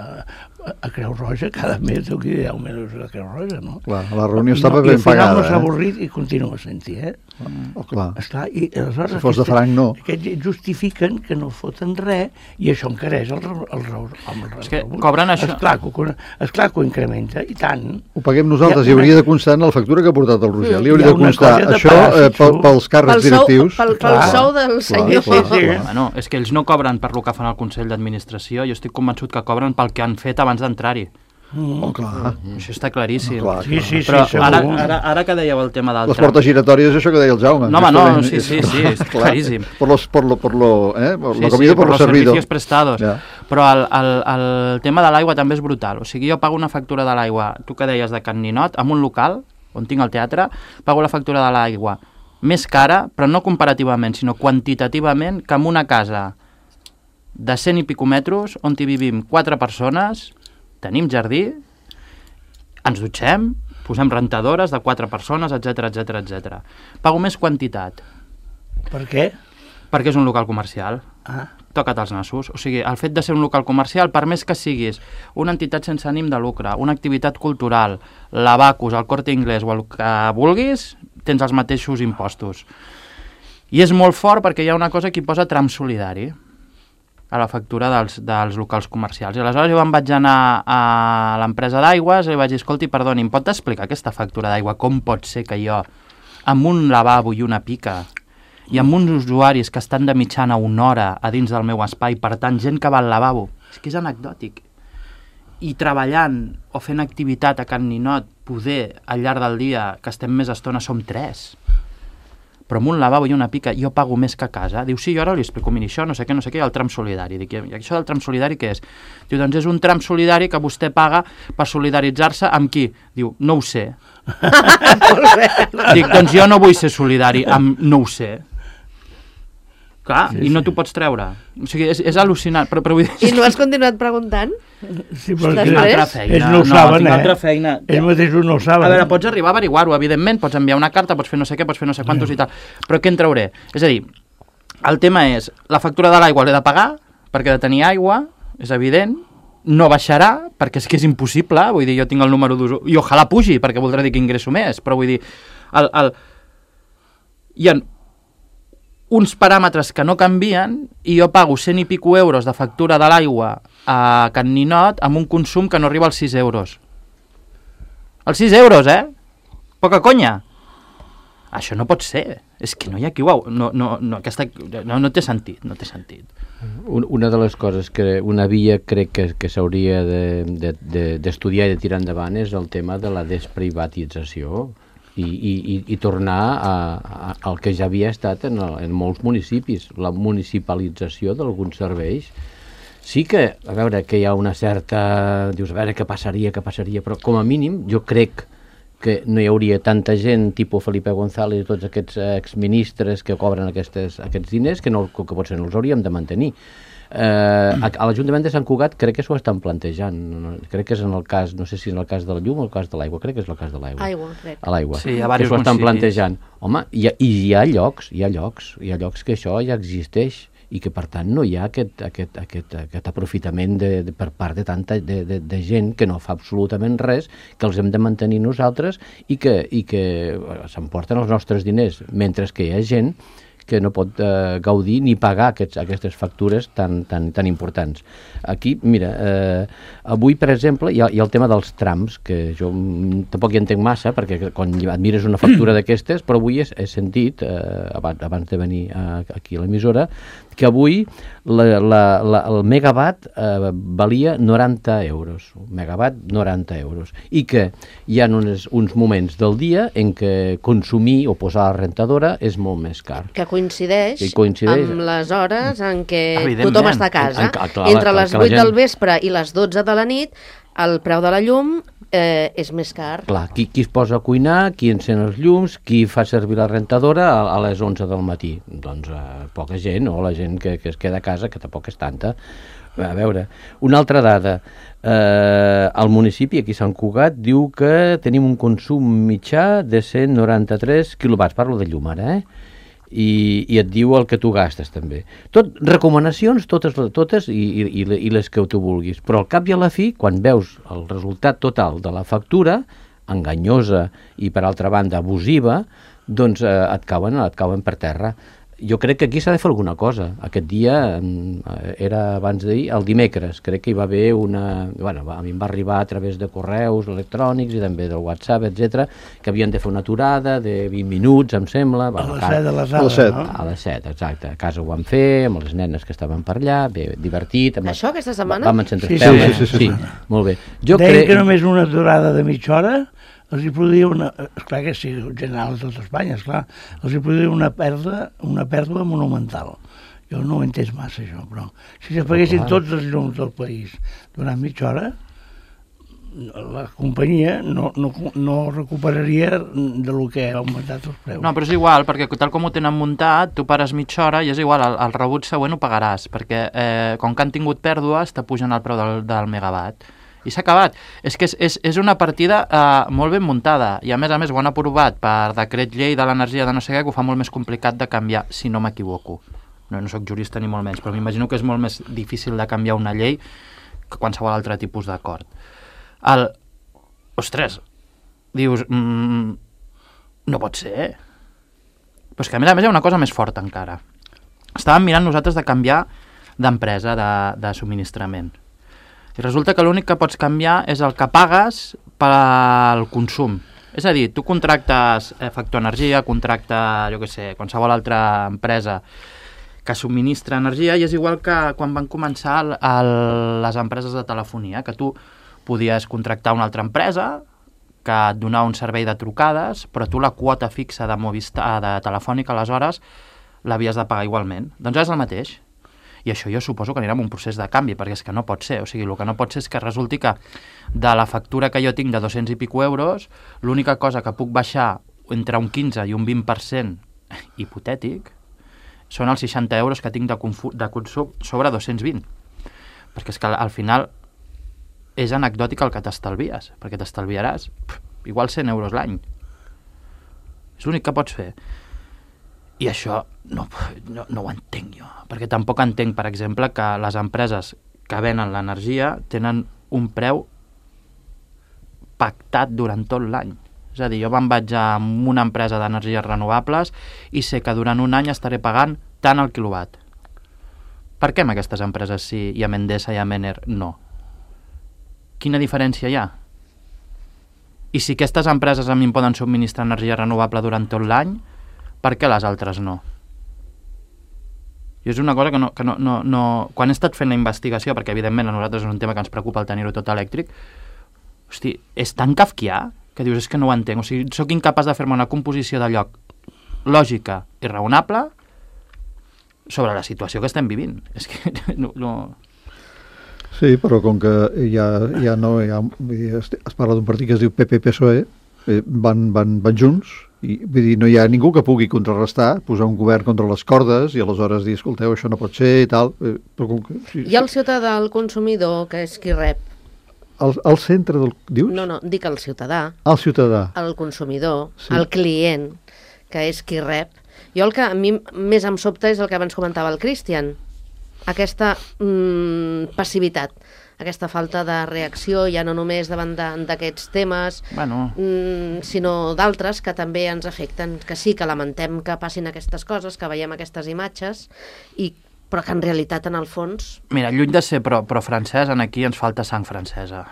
[SPEAKER 4] a, a Creu Roja cada mes, deu que deu mil euros a Creu Roja, no?
[SPEAKER 5] Clar, la reunió estava
[SPEAKER 4] no,
[SPEAKER 5] ben pagada. I al
[SPEAKER 4] final no s'ha
[SPEAKER 5] eh?
[SPEAKER 4] avorrit i continua sent-hi, eh?
[SPEAKER 5] Mm. Oh, clar.
[SPEAKER 4] Esclar, i aleshores...
[SPEAKER 5] Si fos de franc, no.
[SPEAKER 4] Aquests justifiquen que no foten res i això encareix el, el, el, el, el
[SPEAKER 1] És que cobren això...
[SPEAKER 4] Esclar que, esclar que ho incrementa, i tant.
[SPEAKER 5] Ho paguem nosaltres, hi hauria de constar en la factura que ha portat el Roger. Li hauria
[SPEAKER 4] Hi ha
[SPEAKER 5] de
[SPEAKER 4] una
[SPEAKER 5] constar
[SPEAKER 4] cosa de
[SPEAKER 5] això
[SPEAKER 4] pagar,
[SPEAKER 5] eh,
[SPEAKER 4] si
[SPEAKER 5] pel,
[SPEAKER 4] tu-
[SPEAKER 5] pels càrrecs
[SPEAKER 2] Pel sou,
[SPEAKER 5] directius.
[SPEAKER 2] pel, pel
[SPEAKER 4] Clar.
[SPEAKER 2] sou del senyor.
[SPEAKER 4] sí, sí.
[SPEAKER 1] Bueno, és que ells no cobren per lo que fan al Consell d'Administració, jo estic convençut que cobren pel que han fet abans d'entrar-hi.
[SPEAKER 4] Mm.
[SPEAKER 5] Oh, clar.
[SPEAKER 1] Això està claríssim.
[SPEAKER 5] Clar,
[SPEAKER 4] Sí, sí, sí,
[SPEAKER 1] Però
[SPEAKER 4] segur.
[SPEAKER 1] ara, ara, ara que dèieu el tema del
[SPEAKER 5] Les
[SPEAKER 1] tram...
[SPEAKER 5] portes giratòries, això que deia el Jaume.
[SPEAKER 1] No, home, no,
[SPEAKER 5] Justament,
[SPEAKER 1] sí, sí, sí, és
[SPEAKER 5] clar.
[SPEAKER 1] claríssim.
[SPEAKER 5] Por, los, por, lo, por, lo, eh? por
[SPEAKER 1] Sí,
[SPEAKER 5] la comida,
[SPEAKER 1] sí,
[SPEAKER 5] por,
[SPEAKER 1] por
[SPEAKER 5] lo
[SPEAKER 1] los
[SPEAKER 5] servido.
[SPEAKER 1] servicios prestados.
[SPEAKER 5] Ja.
[SPEAKER 1] Però el, el, el tema de l'aigua també és brutal. O sigui, jo pago una factura de l'aigua, tu que deies de Can Ninot, en un local, on tinc el teatre, pago la factura de l'aigua més cara, però no comparativament, sinó quantitativament, que en una casa de cent i pico metres, on hi vivim quatre persones, tenim jardí, ens dutxem, posem rentadores de quatre persones, etc etc etc. Pago més quantitat,
[SPEAKER 4] Per què?
[SPEAKER 1] perquè és un local comercial.
[SPEAKER 4] Ah,
[SPEAKER 1] Toca't els nassos. O sigui, el fet de ser un local comercial, per més que siguis una entitat sense ànim de lucre, una activitat cultural, l'Abacus, el Corte Inglés o el que vulguis, tens els mateixos impostos. I és molt fort perquè hi ha una cosa que hi posa tram solidari a la factura dels, dels locals comercials. I aleshores jo em vaig anar a l'empresa d'aigües i vaig dir, escolti, perdoni, em pot explicar aquesta factura d'aigua? Com pot ser que jo, amb un lavabo i una pica, i amb uns usuaris que estan de mitjana una hora a dins del meu espai, per tant, gent que va al lavabo, és que és anecdòtic, i treballant o fent activitat a Can Ninot, poder, al llarg del dia, que estem més estona, som tres, però amb un lavabo i una pica jo pago més que a casa. Diu, sí, jo ara li explico, miri, això, no sé què, no sé què, el tram solidari. Dic, i això del tram solidari què és? Diu, doncs és un tram solidari que vostè paga per solidaritzar-se amb qui? Diu, no ho sé. Dic, doncs jo no vull ser solidari amb no ho sé. Clar,
[SPEAKER 4] Sí,
[SPEAKER 1] i no
[SPEAKER 4] sí.
[SPEAKER 1] t'ho pots treure. O sigui, és, és al·lucinant, però, però vull dir...
[SPEAKER 2] I no has continuat preguntant?
[SPEAKER 4] sí,
[SPEAKER 2] Després?
[SPEAKER 4] però
[SPEAKER 1] Tinc
[SPEAKER 4] que-
[SPEAKER 1] altra feina.
[SPEAKER 4] ells no ho
[SPEAKER 1] no,
[SPEAKER 4] saben,
[SPEAKER 1] tinc
[SPEAKER 4] eh?
[SPEAKER 1] altra feina.
[SPEAKER 4] Ells mateixos no ho saben.
[SPEAKER 1] A veure, pots arribar a averiguar-ho, evidentment, pots enviar una carta, pots fer no sé què, pots fer no sé quantos i tal, però què en trauré? És a dir, el tema és, la factura de l'aigua l'he de pagar, perquè he de tenir aigua, és evident, no baixarà, perquè és que és impossible, vull dir, jo tinc el número d'uso, i ojalà pugi, perquè voldrà dir que ingresso més, però vull dir, el, el... hi ha uns paràmetres que no canvien i jo pago cent i pico euros de factura de l'aigua a Can Ninot amb un consum que no arriba als sis euros. Els sis euros, eh? Poca conya. Això no pot ser. És que no hi ha qui ho... No, no, no, aquesta, no, no té sentit, no té sentit.
[SPEAKER 3] Un- Una de les coses que una via crec que, que s'hauria d'estudiar de, de, d'estudiar i de tirar endavant és el tema de la desprivatització i, i, i, i tornar a, a, al que ja havia estat en, el, en molts municipis, la municipalització d'alguns serveis. Sí que, a veure, que hi ha una certa... Dius, a veure, què passaria, què passaria, però com a mínim jo crec que no hi hauria tanta gent tipus Felipe González i tots aquests exministres que cobren aquestes, aquests diners que, no, que potser no els hauríem de mantenir. Eh, a, a l'Ajuntament de Sant Cugat crec que s'ho estan plantejant. No, crec que és en el cas, no sé si és en el cas de la llum o el cas de l'aigua, crec que és el cas de l'aigua.
[SPEAKER 2] Aigua, crec.
[SPEAKER 3] A l'aigua.
[SPEAKER 1] Sí, hi ha
[SPEAKER 3] que
[SPEAKER 1] diversos
[SPEAKER 3] s'ho estan
[SPEAKER 1] municipis.
[SPEAKER 3] plantejant. Home, hi ha, i hi ha llocs, hi ha llocs, hi ha llocs que això ja existeix i que per tant no hi ha aquest, aquest, aquest, aquest aprofitament de, de, per part de tanta de, de, de gent que no fa absolutament res, que els hem de mantenir nosaltres i que, i que eh, s'emporten els nostres diners, mentre que hi ha gent que no pot eh, gaudir ni pagar aquests, aquestes factures tan, tan, tan importants. Aquí, mira, eh, avui, per exemple, hi ha, hi ha el tema dels trams, que jo mm, tampoc hi entenc massa, perquè quan admires una factura d'aquestes, però avui he, he sentit, eh, abans, abans de venir a, aquí a l'emissora, que avui la, la, la, el megawatt eh, valia noranta euros, un megawatt noranta euros, i que hi ha uns, uns moments del dia en què consumir o posar la rentadora és molt més car.
[SPEAKER 2] Que coincideix,
[SPEAKER 3] Que coincideix.
[SPEAKER 2] amb les hores en què
[SPEAKER 1] Evidentment.
[SPEAKER 2] tothom està a casa.
[SPEAKER 3] En- en- clar,
[SPEAKER 2] Entre
[SPEAKER 3] clar,
[SPEAKER 2] les
[SPEAKER 3] que la
[SPEAKER 2] vuit
[SPEAKER 3] gent-
[SPEAKER 2] del vespre i les dotze de la nit, el preu de la llum eh, és més car.
[SPEAKER 3] Clar, qui, qui es posa a cuinar, qui encén els llums, qui fa servir la rentadora a, a les onze del matí? Doncs eh, poca gent, o la gent que, que es queda a casa, que tampoc és tanta. A veure, una altra dada. Eh, el municipi, aquí a Sant Cugat, diu que tenim un consum mitjà de cent noranta-tres quilowatts, parlo de llum ara, eh? I, i et diu el que tu gastes també. Tot, recomanacions totes, totes i, i, i les que tu vulguis, però al cap i a la fi, quan veus el resultat total de la factura, enganyosa i per altra banda abusiva, doncs eh, et, cauen, et cauen per terra. Jo crec que aquí s'ha de fer alguna cosa. Aquest dia, era abans d'ahir, el dimecres, crec que hi va haver una... Bueno, a mi em va arribar a través de correus electrònics i també del WhatsApp, etcètera, que havien de fer una aturada de vint minuts, em sembla.
[SPEAKER 4] A
[SPEAKER 3] Bueno,
[SPEAKER 4] les set de les
[SPEAKER 5] a les set.
[SPEAKER 4] no?
[SPEAKER 3] A les set, exacte. A casa ho vam fer, amb les nenes que estaven per allà, bé, divertit. Amb...
[SPEAKER 2] Això, aquesta setmana?
[SPEAKER 3] Vam encendre
[SPEAKER 4] Sí,
[SPEAKER 3] espelmes.
[SPEAKER 5] sí, sí, sí,
[SPEAKER 3] sí, molt bé. Jo
[SPEAKER 4] Deien
[SPEAKER 3] crec...
[SPEAKER 4] que només una aturada de mitja hora els hi produïa una... Esclar que sí, general a tot Espanya, esclar. Els hi produïa una pèrdua, una pèrdua monumental. Jo no ho he entès massa, això, però si s'apaguessin tots els llums del país durant mitja hora, la companyia no, no, no recuperaria de lo que ha augmentat els preus.
[SPEAKER 1] No, però és igual, perquè tal com ho tenen muntat, tu pares mitja hora i és igual, el, el rebut següent ho pagaràs, perquè eh, com que han tingut pèrdues, t'apugen el preu del, del megawatt. I s'ha acabat. És que és, és, és una partida eh, molt ben muntada, i a més a més ho han aprovat per decret llei de l'energia de no sé què, que ho fa molt més complicat de canviar, si no m'equivoco. No, no sóc jurista ni molt menys, però m'imagino que és molt més difícil de canviar una llei que qualsevol altre tipus d'acord. El... Ostres, dius... Mm, no pot ser. Però és que a més a més hi ha una cosa més forta encara. Estàvem mirant nosaltres de canviar d'empresa, de, de subministrament. I resulta que l'únic que pots canviar és el que pagues pel consum. És a dir, tu contractes eh, Factor Energia, contracta, jo què sé, qualsevol altra empresa que subministra energia, i és igual que quan van començar el, el, les empreses de telefonia, que tu podies contractar una altra empresa que et donava un servei de trucades, però tu la quota fixa de Movistar, de Telefònica, aleshores, l'havies de pagar igualment. Doncs és el mateix. I això jo suposo que anirà amb un procés de canvi, perquè és que no pot ser. O sigui, el que no pot ser és que resulti que de la factura que jo tinc de dos-cents i pico euros, l'única cosa que puc baixar entre un quinze i un vint per cent hipotètic són els seixanta euros que tinc de, de consum sobre dos-cents vint. Perquè és que al final és anecdòtic el que t'estalvies, perquè t'estalviaràs pff, igual cent euros l'any. És l'únic que pots fer. I això no, no, no ho entenc jo, perquè tampoc entenc, per exemple, que les empreses que venen l'energia tenen un preu pactat durant tot l'any. És a dir, jo me'n vaig a una empresa d'energies renovables i sé que durant un any estaré pagant tant el quilowatt. Per què amb aquestes empreses sí i amb Endesa i amb Ener no? Quina diferència hi ha? I si aquestes empreses a mi em poden subministrar energia renovable durant tot l'any, per què les altres no? I és una cosa que no, que no, no, no... Quan he estat fent la investigació, perquè evidentment a nosaltres és un tema que ens preocupa el tenir-ho tot elèctric, hosti, és tan kafkià que dius, és que no ho entenc. O sigui, sóc incapaç de fer-me una composició de lloc lògica i raonable sobre la situació que estem vivint. És que no... no...
[SPEAKER 5] Sí, però com que ja, ja no hi ha, es, es parla d'un partit que es diu P P P S O E, eh, van, van, van junts, i vull dir, no hi ha ningú que pugui contrarrestar, posar un govern contra les cordes i aleshores dir, escolteu, això no pot ser i tal. Eh, però com que, sí,
[SPEAKER 2] Hi ha el ciutadà, el consumidor, que és qui rep.
[SPEAKER 5] Al, al centre del... Dius?
[SPEAKER 2] No, no, dic el ciutadà,
[SPEAKER 5] El ciutadà.
[SPEAKER 2] el consumidor,
[SPEAKER 5] Sí.
[SPEAKER 2] sí. el client, que és qui rep. Jo el que a mi més em sobta és el que abans comentava el Cristian, aquesta mm, passivitat, aquesta falta de reacció, ja no només davant d'aquests temes,
[SPEAKER 1] Bueno,
[SPEAKER 2] mm, sinó d'altres que també ens afecten, que sí, que lamentem que passin aquestes coses, que veiem aquestes imatges, i, però que en realitat, en el fons...
[SPEAKER 1] mira, lluny de ser pro, pro francès, en aquí ens falta sang francesa.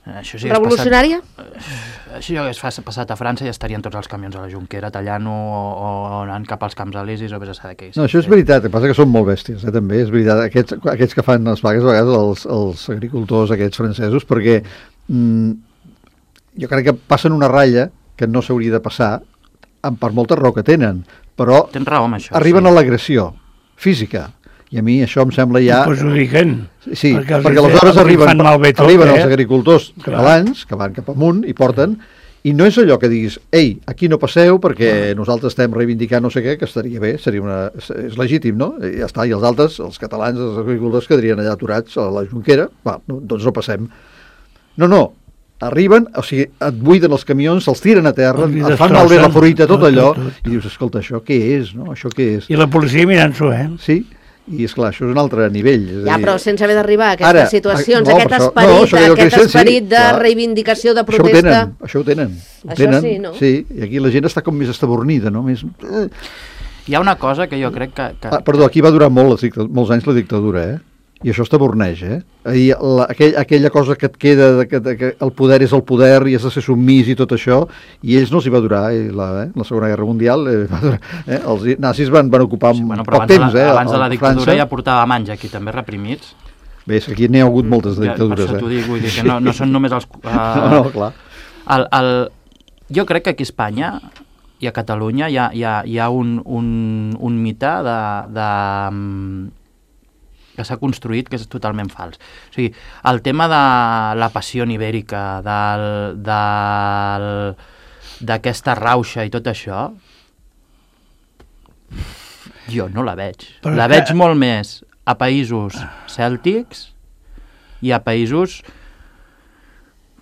[SPEAKER 1] Això sí que
[SPEAKER 2] Revolucionària?
[SPEAKER 1] Passat, això hagués passat a França i estarien tots els camions a la Jonquera tallant o, o, o anant cap als camps elisis o vés a saber què.
[SPEAKER 5] No, això és veritat, el que passa que són molt bèsties, eh, també, és veritat, aquests, aquests que fan les vagues, a vegades els, els agricultors aquests francesos, perquè mm, jo crec que passen una ratlla que no s'hauria de passar, per molta raó que tenen, però
[SPEAKER 1] Tens raó amb això.
[SPEAKER 5] arriben
[SPEAKER 1] sí.
[SPEAKER 5] a l'agressió física, I a mi això em sembla ja...
[SPEAKER 4] Ho perjudiquen.
[SPEAKER 5] Sí,
[SPEAKER 4] perquè,
[SPEAKER 5] perquè aleshores arriben,
[SPEAKER 4] tot,
[SPEAKER 5] arriben
[SPEAKER 4] eh?
[SPEAKER 5] els agricultors catalans, que van cap amunt i porten, i no és allò que diguis, ei, aquí no passeu perquè nosaltres estem reivindicant no sé què, que estaria bé, seria una, és legítim, no? I ja està, i els altres, els catalans, els agricultors quedarien allà aturats a la Jonquera, va, no, doncs no passem. No, no, arriben, o sigui, et buiden els camions, se'ls tiren a terra, et fan malbé la fruita, tot allò, i dius, escolta, això què és, no? Això què és?
[SPEAKER 4] I la policia mirant-s'ho, eh?
[SPEAKER 5] Sí, i és clar, això és un altre nivell. És
[SPEAKER 2] ja,
[SPEAKER 5] dir...
[SPEAKER 2] però sense haver d'arribar a aquestes
[SPEAKER 5] Ara,
[SPEAKER 2] situacions,
[SPEAKER 5] no,
[SPEAKER 2] aquest
[SPEAKER 5] això,
[SPEAKER 2] esperit,
[SPEAKER 5] no,
[SPEAKER 2] aquest
[SPEAKER 5] dicen,
[SPEAKER 2] esperit
[SPEAKER 5] sí,
[SPEAKER 2] de
[SPEAKER 5] clar.
[SPEAKER 2] reivindicació, de protesta...
[SPEAKER 5] Això ho tenen, això ho tenen. Ho
[SPEAKER 2] Això
[SPEAKER 5] tenen,
[SPEAKER 2] sí, no?
[SPEAKER 5] Sí, i aquí la gent està com més estabornida, no? Més...
[SPEAKER 1] Hi ha una cosa que jo crec que... que...
[SPEAKER 5] Ah, perdó, aquí va durar molt, la dictadura, molts anys la dictadura, eh? I això està borneix, eh? I la, aquell, aquella cosa que et queda, de que, de que el poder és el poder i has de ser submís i tot això, i ells no els hi va durar, eh? La, eh? la Segona Guerra Mundial, eh? Va durar, eh? Els nazis van, van ocupar
[SPEAKER 1] sí, bueno,
[SPEAKER 5] poc
[SPEAKER 1] abans
[SPEAKER 5] temps,
[SPEAKER 1] de la,
[SPEAKER 5] eh?
[SPEAKER 1] Abans de la dictadura
[SPEAKER 5] França.
[SPEAKER 1] ja portàvem anys aquí també reprimits.
[SPEAKER 5] Bé, és que aquí n'hi ha hagut moltes de dictadures,
[SPEAKER 1] ja, per això
[SPEAKER 5] eh?
[SPEAKER 1] t'ho dic, vull dir que no, no són només els... Uh,
[SPEAKER 5] no, no, clar.
[SPEAKER 1] El, el, jo crec que aquí a Espanya i a Catalunya hi ha, hi ha, hi ha un, un, un mite de... de que s'ha construït, que és totalment fals. O sigui, el tema de la passió ibèrica, del, del, d'aquesta rauxa i tot això, jo no la veig.
[SPEAKER 4] Però
[SPEAKER 1] la
[SPEAKER 4] que...
[SPEAKER 1] veig molt més a països cèltics i a països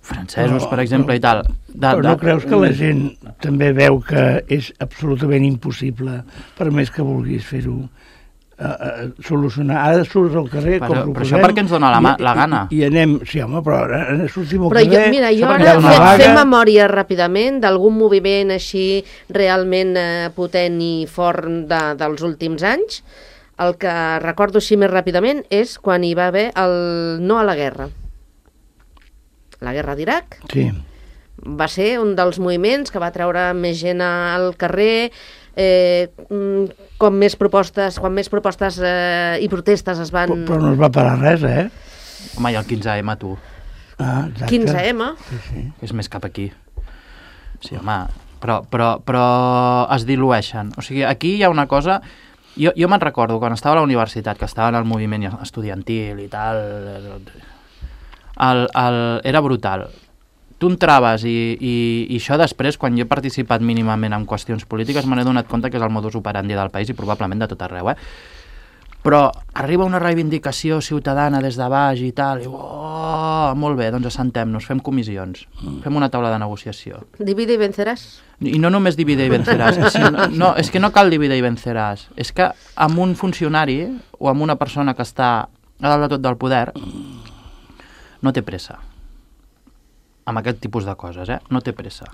[SPEAKER 1] francesos,
[SPEAKER 4] però,
[SPEAKER 1] per exemple,
[SPEAKER 4] però,
[SPEAKER 1] i tal. De,
[SPEAKER 4] però no
[SPEAKER 1] de...
[SPEAKER 4] creus que la gent també veu que és absolutament impossible, per més que vulguis fer-ho, Uh, uh, solucionar, ara surts al carrer
[SPEAKER 1] però,
[SPEAKER 4] com
[SPEAKER 1] però
[SPEAKER 4] proposem,
[SPEAKER 1] això perquè ens dona la, ma, la gana
[SPEAKER 4] i, i anem, sí home, però ara sortim al
[SPEAKER 2] Però
[SPEAKER 4] carrer,
[SPEAKER 2] jo, mira, jo
[SPEAKER 1] Això
[SPEAKER 2] ara
[SPEAKER 1] perquè hi ha una
[SPEAKER 2] fem,
[SPEAKER 1] vaga.
[SPEAKER 2] fem memòria ràpidament d'algun moviment així realment eh, potent i fort de, dels últims anys. El que recordo així més ràpidament és quan hi va haver el no a la guerra. La guerra d'Iraq.
[SPEAKER 4] sí.
[SPEAKER 2] Va ser un dels moviments que va treure més gent al carrer, eh, com més propostes, quan més propostes eh, i protestes es van...
[SPEAKER 4] Però, però no es va parar res, eh?
[SPEAKER 1] home, i el quinze ema, tu,
[SPEAKER 4] Ah, exacte.
[SPEAKER 2] quinze ema.
[SPEAKER 4] Sí, sí.
[SPEAKER 1] és més cap aquí. Sí, home, però, però, però es dilueixen. O sigui, aquí hi ha una cosa... Jo, jo me'n recordo, quan estava a la universitat, que estava en el moviment estudiantil i tal, el, el, era brutal. Tu entraves i, i, i això després, quan jo he participat mínimament en qüestions polítiques, me n'he donat compte que és el modus operandi del país i probablement de tot arreu, eh? Però arriba una reivindicació ciutadana des de baix i tal, i oh, molt bé, doncs assentem-nos, fem comissions, fem una taula de negociació.
[SPEAKER 2] Divide i venceràs.
[SPEAKER 1] I no només divide i venceràs, sí, no, no, és que no cal divide i venceràs, és que amb un funcionari o amb una persona que està a dalt de tot del poder no té pressa. Amb aquest tipus de coses, eh? No té pressa.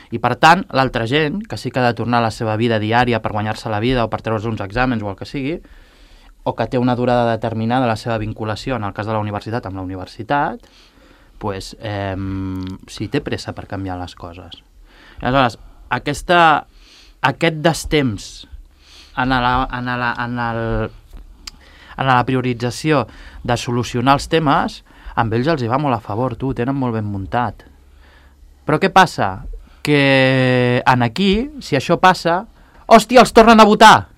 [SPEAKER 1] I per tant, l'altra gent, que sí que ha de tornar a la seva vida diària per guanyar-se la vida o per treure's uns exàmens o el que sigui, o que té una durada determinada la seva vinculació, en el cas de la universitat, amb la universitat, pues, eh, sí té pressa per canviar les coses. I aleshores, aquesta, aquest destemps en la, en, la, en, el, en la priorització de solucionar els temes, amb ells els hi va molt a favor, tu, tenen molt ben muntat. Però què passa? Que en aquí, si això passa, hòstia, els tornen a votar!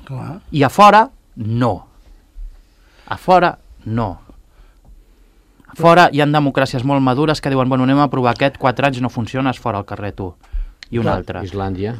[SPEAKER 4] Clar.
[SPEAKER 1] I a fora, no. A fora, no. A fora hi ha democràcies molt madures que diuen, bueno, anem a provar aquest, quatre anys no funciona, és fora al carrer, tu. I un
[SPEAKER 3] Clar,
[SPEAKER 1] altre.
[SPEAKER 3] Islàndia.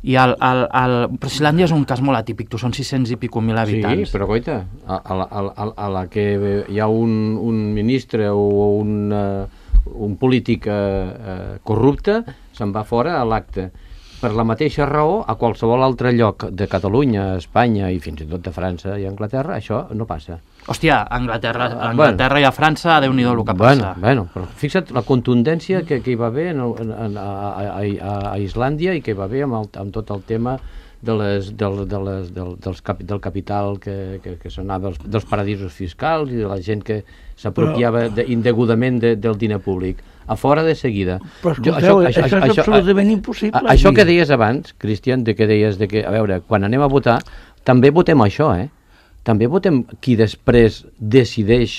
[SPEAKER 1] I el, el, el... Però Islàndia és un cas molt atípic, tu, són sis-cents i pico mil habitants.
[SPEAKER 3] Sí, però coita, a, a, la, a, a la que hi ha un, un ministre o un, uh, un polític uh, uh, corrupte, se'n va fora a l'acte. Per la mateixa raó, a qualsevol altre lloc de Catalunya, Espanya i fins i tot de França i Anglaterra, això no passa.
[SPEAKER 1] Hòstia, a Anglaterra, a
[SPEAKER 3] Bueno.
[SPEAKER 1] Anglaterra i a França, Déu-n'hi-do el que
[SPEAKER 3] Bueno,
[SPEAKER 1] passa.
[SPEAKER 3] bueno, però fixa't la contundència que, que hi va haver en, el- en, a, a, a, a Islàndia i que hi va haver amb, el, amb tot el tema de les, del, de les, del, dels cap, del capital que, que, que sonava dels, dels paradisos fiscals i de la gent que s'apropiava de, indegudament de, del diner públic. A fora de seguida.
[SPEAKER 4] Però escolteu, això, això, això és absolutament impossible.
[SPEAKER 3] A, això
[SPEAKER 4] aquí.
[SPEAKER 3] que deies abans, Cristian, de que deies de que, a veure, quan anem a votar, també votem això, eh? També votem qui després decideix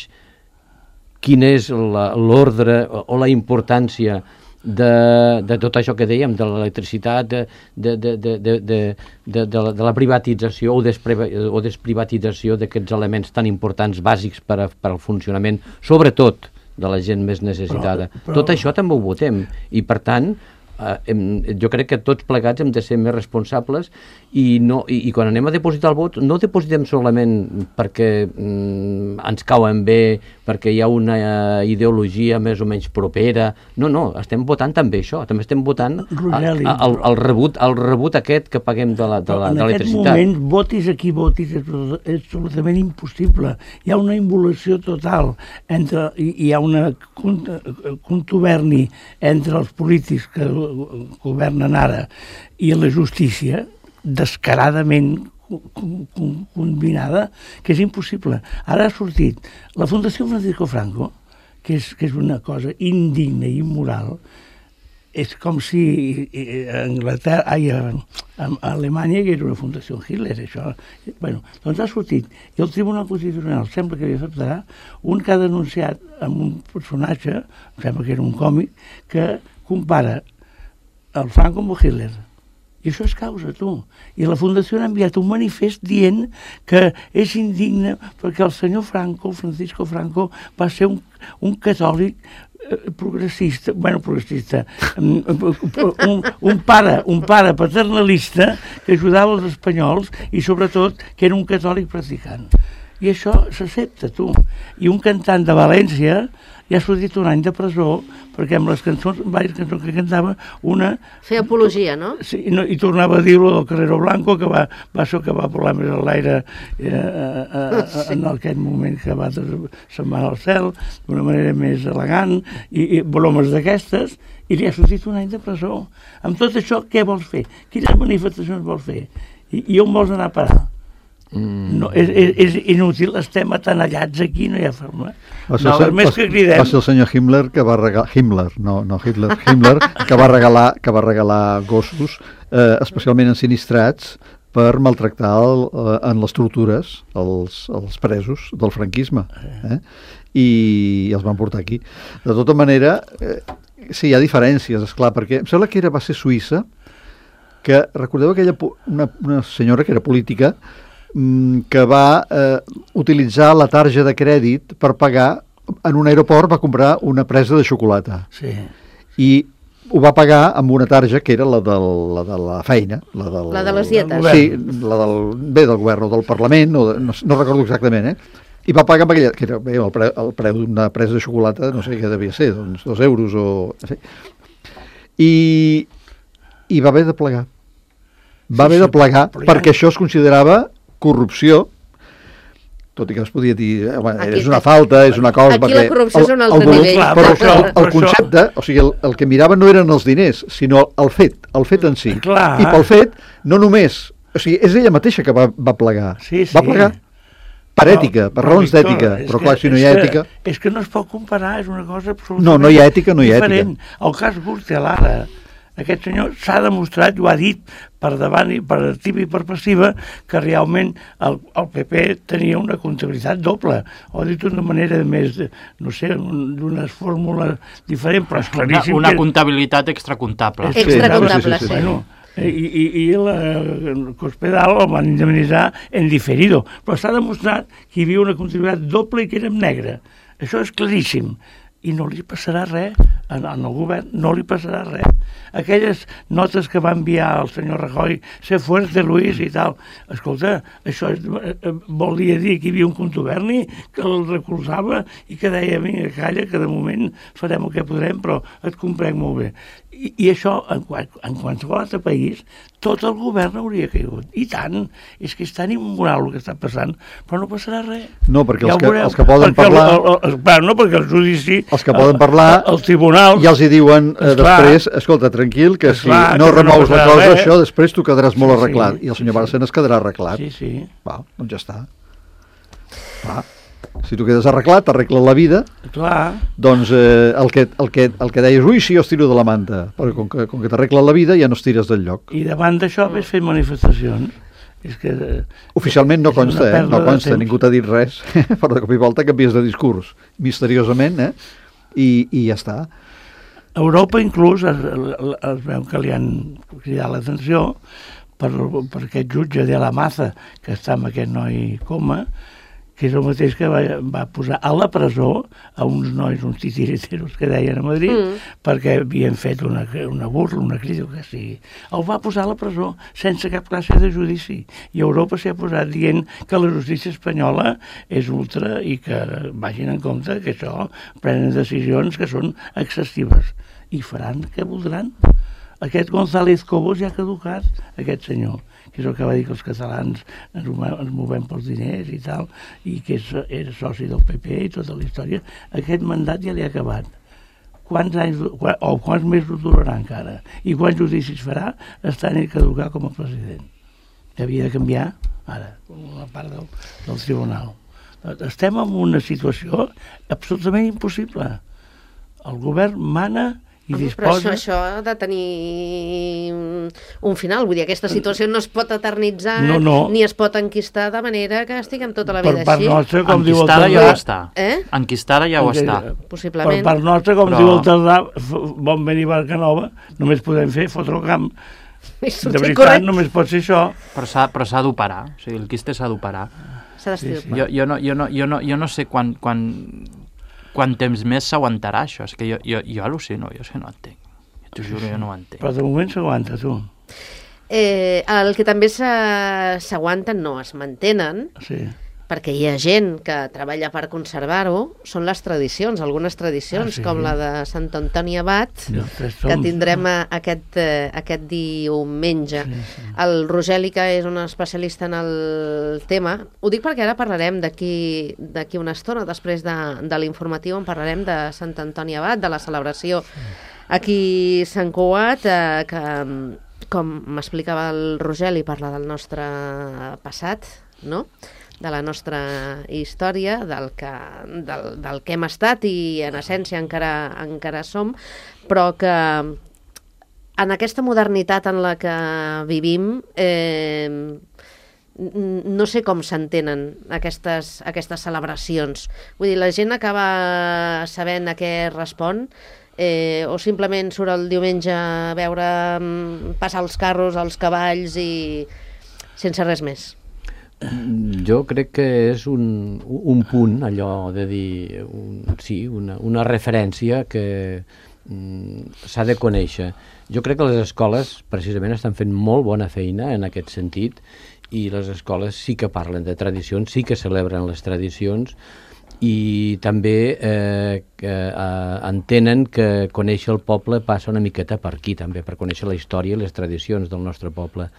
[SPEAKER 3] quin és la- l'ordre o, o la importància de, de tot això que dèiem, de l'electricitat, de, de, de, de, de, de, de, de, la, de la privatització o, despre, o desprivatització d'aquests elements tan importants, bàsics per, a, per al funcionament, sobretot de la gent més necessitada. Però, però... Tot això també ho votem, i per tant, eh, hem, jo crec que tots plegats hem de ser més responsables i, no, i, i quan anem a depositar el vot no depositem solament perquè mm, ens cauen bé, perquè hi ha una eh, ideologia més o menys propera, no, no, estem votant també això, també estem votant
[SPEAKER 4] Rogeli,
[SPEAKER 3] a, a, el, el, rebut, el rebut aquest que paguem de l'electricitat.
[SPEAKER 4] En aquest moment, votis a qui votis, és, és absolutament impossible. Hi ha una involució total entre, i hi ha una contuberni entre els polítics que governen ara i la justícia, descaradament combinada, que és impossible. Ara ha sortit la Fundació Francisco Franco, que és, que és una cosa indigna i immoral. És com si a Anglaterra, ai, a, a Alemanya hi era una Fundació Hitler, això. Bueno, doncs ha sortit, i el Tribunal Constitucional sembla que hi acceptarà un que ha denunciat amb un personatge, sembla que era un còmic, que compara el Franco amb el Hitler. I això és causa, tu. I la Fundació ha enviat un manifest dient que és indigne perquè el senyor Franco, Francisco Franco, va ser un, un catòlic eh, progressista, bueno, progressista, un, un, un, pare, un pare paternalista que ajudava els espanyols i sobretot que era un catòlic practicant. I això s'accepta, tu. I un cantant de València ja ha sortit un any de presó perquè amb les cançons, diverses cançons que cantava, una...
[SPEAKER 2] Fer apologia, no?
[SPEAKER 4] Sí, no, i tornava a dir-lo del Carrero Blanco, que va, va ser que va volar més a l'aire eh, eh, sí. en aquest moment que va se'n va al cel, d'una manera més elegant, i, i bromes d'aquestes, i li ha sortit un any de presó. Amb tot això, què vols fer? Quines manifestacions vols fer? I, i on vols anar a parar? Mm. No, és, és, és inútil, estem atenallats aquí, no hi ha forma.
[SPEAKER 5] Va ser,
[SPEAKER 4] no,
[SPEAKER 5] ser,
[SPEAKER 4] més que cridem...
[SPEAKER 5] va ser el senyor Himmler que va regalar, Himmler, no, no Hitler, Himmler, que va regalar, que va regalar gossos, eh, especialment ensinistrats, per maltractar el, eh, en les tortures els, els presos del franquisme. Eh? I, I els van portar aquí. De tota manera, eh, sí, hi ha diferències, esclar, perquè em sembla que era, va ser Suïssa, que recordeu aquella una, una senyora que era política, que va eh, utilitzar la tarja de crèdit per pagar, en un aeroport va comprar una presa de xocolata.
[SPEAKER 4] Sí.
[SPEAKER 5] I ho va pagar amb una tarja que era la, del, la de la feina. La, del,
[SPEAKER 2] la de les dietes.
[SPEAKER 5] Sí, la del, bé, del govern o del Parlament, o de, no, no recordo exactament, eh? I va pagar amb aquella, que era bé, el preu, el preu d'una presa de xocolata, no sé què devia ser, doncs dos euros o... En fi. I, I va haver de plegar. Va sí, haver de plegar sí, perquè això es considerava corrupció, tot i que es podia dir, eh, bueno, aquí, és una falta, és una cosa...
[SPEAKER 2] Aquí la corrupció és un altre
[SPEAKER 5] el, el,
[SPEAKER 2] nivell.
[SPEAKER 5] Clar, però el, el, el concepte, o sigui, el, el que mirava no eren els diners, sinó el fet, el fet en si.
[SPEAKER 4] Clar.
[SPEAKER 5] I pel fet, no només... O sigui, és ella mateixa que va, va plegar.
[SPEAKER 4] Sí, sí.
[SPEAKER 5] Va plegar per però, ètica, per però, raons d'ètica. Però clar, si no hi ha ètica...
[SPEAKER 4] Que, és que no es pot comparar, és una cosa absolutament
[SPEAKER 5] no, no hi ha ètica, no hi ha
[SPEAKER 4] diferent.
[SPEAKER 5] ètica.
[SPEAKER 4] El cas Gürtel ara, aquest senyor s'ha demostrat, ho ha dit per davant i per activa i per passiva, que realment el, el P P tenia una comptabilitat doble. Ho ha dit d'una manera més, no sé, d'unes fórmules diferents, però és claríssim
[SPEAKER 1] una, una
[SPEAKER 4] que...
[SPEAKER 1] comptabilitat extracomptable.
[SPEAKER 2] Sí, extracomptable, sí. sí, sí, sí.
[SPEAKER 4] Bueno, i, i, i el Cospedal el van indemnitzar en diferido, però s'ha demostrat que hi havia una comptabilitat doble i que era en negre. Això és claríssim. I no li passarà res, en el govern no li passarà res. Aquelles notes que va enviar el senyor Rajoy, ser fuerte, Luis, i tal, escolta, això és, volia dir que hi havia un contuberni que el recolzava i que deia, vinga, calla, que de moment farem el que podrem, però et comprem molt bé. I, i això, en, en qualsevol altre país, tot el govern hauria caigut. I tant, és que és tan immoral el que està passant, però no passarà res.
[SPEAKER 5] No, perquè
[SPEAKER 4] ja
[SPEAKER 5] els, que,
[SPEAKER 4] veureu,
[SPEAKER 5] els que poden
[SPEAKER 4] perquè
[SPEAKER 5] parlar...
[SPEAKER 4] El, el, el, no, perquè el judici...
[SPEAKER 5] Els que poden parlar...
[SPEAKER 4] El, el tribunal...
[SPEAKER 5] Ja els hi diuen eh,
[SPEAKER 4] esclar,
[SPEAKER 5] després, esclar, tranquil, que si
[SPEAKER 4] esclar,
[SPEAKER 5] no
[SPEAKER 4] que
[SPEAKER 5] remous
[SPEAKER 4] no
[SPEAKER 5] la cosa,
[SPEAKER 4] res.
[SPEAKER 5] això després tu quedaràs molt
[SPEAKER 4] Sí,
[SPEAKER 5] arreglat.
[SPEAKER 4] sí,
[SPEAKER 5] I el senyor
[SPEAKER 4] sí,
[SPEAKER 5] Bárcenas quedarà arreglat.
[SPEAKER 4] Sí, sí.
[SPEAKER 5] Va, doncs ja està. Va. Si tu quedes arreglat, t'arregla la vida,
[SPEAKER 4] Clar.
[SPEAKER 5] doncs eh, el, que, el, que, el que deies, ui, sí, jo estiro de la manta, perquè com que, com que t'arregla la vida ja no estires del lloc.
[SPEAKER 4] I davant d'això ves fer manifestacions. És que,
[SPEAKER 5] oficialment no consta, eh? No consta,
[SPEAKER 4] temps.
[SPEAKER 5] ningú t'ha dit res, però de cop i volta canvies de discurs, misteriosament, eh? I, i ja està.
[SPEAKER 4] Europa inclús es, es veu que li han cridat l'atenció per, per aquest jutge de la Maza que està amb aquest noi coma, que és el mateix que va, va posar a la presó a uns nois, uns titiriteros que deien a Madrid, mm. perquè havien fet una, una burla, una crida, que sigui. El va posar a la presó sense cap classe de judici. I Europa s'hi ha posat dient que la justícia espanyola és ultra i que vagin en compte que això prenen decisions que són excessives. I faran què voldran. Aquest González Cobos ja ha caducat, aquest senyor, que és el que va dir que els catalans ens movem pels diners i tal, i que és, era soci del P P i tota la història. Aquest mandat ja li ha acabat. Quants anys, o quants mesos durarà encara? I quants judicis farà estant ell caducar com a president? Que havia de canviar, ara, una part del, del tribunal. Estem en una situació absolutament impossible. El govern mana i disposa...
[SPEAKER 2] Però això, això ha de tenir un final, vull dir, aquesta situació no es pot eternitzar
[SPEAKER 4] no, no.
[SPEAKER 2] ni es pot enquistar de manera que estiguem tota la
[SPEAKER 4] per
[SPEAKER 2] vida
[SPEAKER 4] part
[SPEAKER 2] així.
[SPEAKER 4] Nostra, com
[SPEAKER 1] enquistada
[SPEAKER 4] diu el
[SPEAKER 1] ja ho
[SPEAKER 4] Tardà,
[SPEAKER 1] està.
[SPEAKER 2] Eh?
[SPEAKER 1] Enquistada ja ho està.
[SPEAKER 2] Possiblement.
[SPEAKER 4] Per part nostra, com
[SPEAKER 1] Però...
[SPEAKER 4] diu el Tardà, bon venir Barca Nova, només podem fer fotre el camp. De veritat, correcte. Només pot ser això.
[SPEAKER 1] Però s'ha però s'ha d'operar, o sigui, el quiste s'ha d'operar.
[SPEAKER 2] S'ha d'estirpar.
[SPEAKER 1] Jo, jo, no, jo, no, jo, no, jo no sé quan, quan, quan temps més s'aguantarà això, és que jo, jo, jo al·lucino, jo és que no entenc. T'ho juro, jo no ho entenc.
[SPEAKER 4] Però de moment s'aguanta, tu.
[SPEAKER 2] Eh, el que també s'aguanten, no, es mantenen,
[SPEAKER 4] sí.
[SPEAKER 2] perquè hi ha gent que treballa per conservar-ho, són les tradicions, algunes tradicions, ah, sí. com la de Sant Antoni Abat, sí, que tindrem aquest, eh, aquest diumenge. Sí, sí. El Rogeli, que és un especialista en el tema, ho dic perquè ara parlarem d'aquí d'aquí una estona, després de, de l'informatiu, en parlarem de Sant Antoni Abat, de la celebració sí. aquí a Sant Cugat, eh, que, com m'explicava el Rogeli, parla del nostre passat, no?, de la nostra història, del que, del, del que hem estat i en essència encara, encara som, però que en aquesta modernitat en la que vivim eh, no sé com s'entenen aquestes, aquestes celebracions. Vull dir, la gent acaba sabent a què respon, eh, o simplement surt el diumenge a veure passar els carros, els cavalls i sense res més.
[SPEAKER 3] Jo crec que és un, un punt, allò de dir, un, sí, una, una referència que mm, s'ha de conèixer. Jo crec que les escoles precisament estan fent molt bona feina en aquest sentit i les escoles sí que parlen de tradicions, sí que celebren les tradicions i també eh, que, eh, entenen que conèixer el poble passa una miqueta per aquí també, per conèixer la història i les tradicions del nostre poble.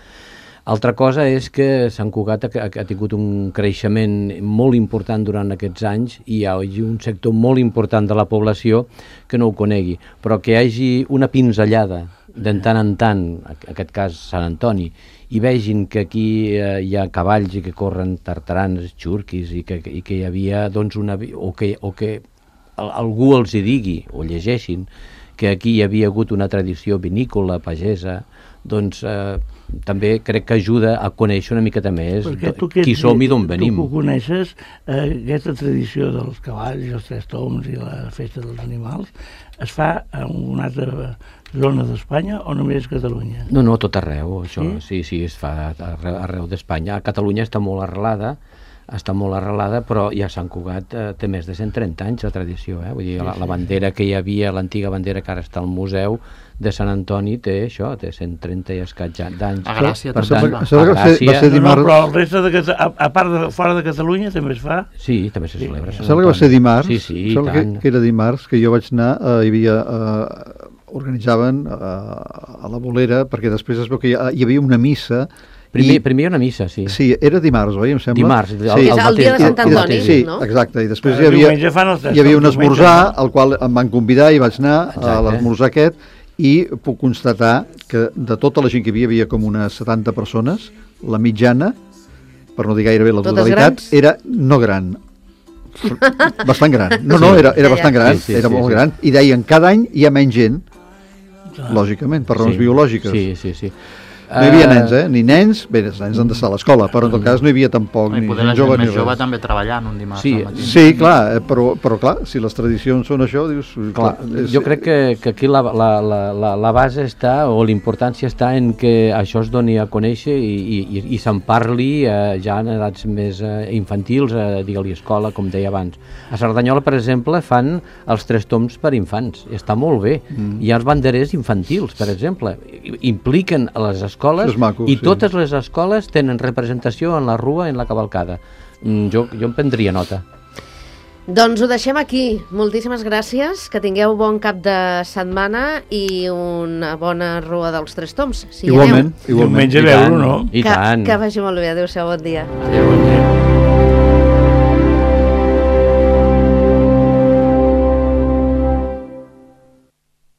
[SPEAKER 3] Altra cosa és que Sant Cugat ha, ha tingut un creixement molt important durant aquests anys i hi ha un sector molt important de la població que no ho conegui, però que hi hagi una pinzellada de tant en tant, en aquest cas Sant Antoni, i vegin que aquí eh, hi ha cavalls i que corren tartaranes, xurquis, i que, i que hi havia, doncs, una... o que, o que algú els hi digui, o llegeixin, que aquí hi havia hagut una tradició vinícola, pagesa, doncs eh, també crec que ajuda a conèixer una miqueta més qui som i d'on venim.
[SPEAKER 4] Tu que coneixes eh, aquesta tradició dels cavalls i els tres tombs i la festa dels animals, es fa en una altra zona d'Espanya o només Catalunya?
[SPEAKER 3] No, no, tot arreu, això, sí, sí, sí es fa arreu, arreu d'Espanya. A Catalunya està molt arrelada, està molt arrelada, però ja Sant Cugat eh, té més de cent trenta anys la tradició, eh? Vull dir, la, la bandera que hi havia, l'antiga bandera que ara està al museu de Sant Antoni té això, té cent trenta i escaig d'anys.
[SPEAKER 1] A Gràcia
[SPEAKER 3] per
[SPEAKER 1] també.
[SPEAKER 3] tant,
[SPEAKER 5] a Gràcia.
[SPEAKER 4] No, no, però el resta de a, a part de fora de Catalunya també es fa?
[SPEAKER 3] Sí, també se celebra.
[SPEAKER 5] Sí. Sembla que va ser dimarts,
[SPEAKER 3] sí, sí,
[SPEAKER 5] sembla que, que era dimarts, que jo vaig anar, eh, hi havia, eh, organitzaven eh, a la Bolera, perquè després es veu que hi, hi havia una missa.
[SPEAKER 3] Primer,
[SPEAKER 5] I,
[SPEAKER 3] primer una missa, sí.
[SPEAKER 5] Sí, era dimarts, oi, em sembla?
[SPEAKER 3] Dimarts.
[SPEAKER 5] Sí.
[SPEAKER 2] El, el, el dia de Sant Antoni,
[SPEAKER 5] sí,
[SPEAKER 2] no?
[SPEAKER 5] exacte, i després
[SPEAKER 4] Però
[SPEAKER 5] hi havia,
[SPEAKER 4] hi
[SPEAKER 5] havia un esmorzar, al qual em van convidar i vaig anar exacte. A l'esmorzar aquest, i puc constatar que de tota la gent que hi havia, hi havia com unes setanta persones, la mitjana, per no dir gairebé la totalitat, era no gran, bastant gran. No, no, era, era bastant gran, sí, sí, era sí, molt sí. gran, i deien, cada any hi ha menys gent, lògicament, per raons
[SPEAKER 3] sí,
[SPEAKER 5] biològiques.
[SPEAKER 3] Sí, sí, sí.
[SPEAKER 5] No hi havia nens, eh? Ni nens, bé, els nens han d'estar a l'escola, però en tot cas no hi havia tampoc
[SPEAKER 1] I
[SPEAKER 5] ni
[SPEAKER 1] poder la
[SPEAKER 5] gent
[SPEAKER 1] gent
[SPEAKER 5] jove ni
[SPEAKER 1] més jove
[SPEAKER 5] res.
[SPEAKER 1] també treballant un dimarts
[SPEAKER 3] Sí,
[SPEAKER 1] al matí.
[SPEAKER 5] Sí, clar, eh, però, però clar, si les tradicions són això, dius...
[SPEAKER 3] Clar,
[SPEAKER 5] és-
[SPEAKER 3] jo crec que, que aquí la, la, la, la, la base està, o l'importància està en que això es doni a conèixer i, i, i se'n parli eh, ja en edats més eh, infantils, eh, digue-li escola, com deia abans. A Cerdanyola, per exemple, fan els tres toms per infants, i està molt bé. Mm. Hi ha els banderers infantils, per exemple, I- impliquen a les escoles
[SPEAKER 5] És maco,
[SPEAKER 3] i
[SPEAKER 5] sí.
[SPEAKER 3] totes les escoles tenen representació en la rua, en la cavalcada. Mm, jo, jo en prendria nota.
[SPEAKER 2] Doncs ho deixem aquí. Moltíssimes gràcies, que tingueu bon cap de setmana i una bona rua dels Tres Toms. Si hi
[SPEAKER 5] Igualment,
[SPEAKER 2] aneu.
[SPEAKER 5] igualment.
[SPEAKER 4] Diumenge
[SPEAKER 3] I
[SPEAKER 4] veure-ho,
[SPEAKER 3] tant,
[SPEAKER 4] no?
[SPEAKER 3] I
[SPEAKER 2] que,
[SPEAKER 3] tant.
[SPEAKER 2] que vagi molt bé. Adéu-siau, bon dia.
[SPEAKER 4] Adéu, bon dia.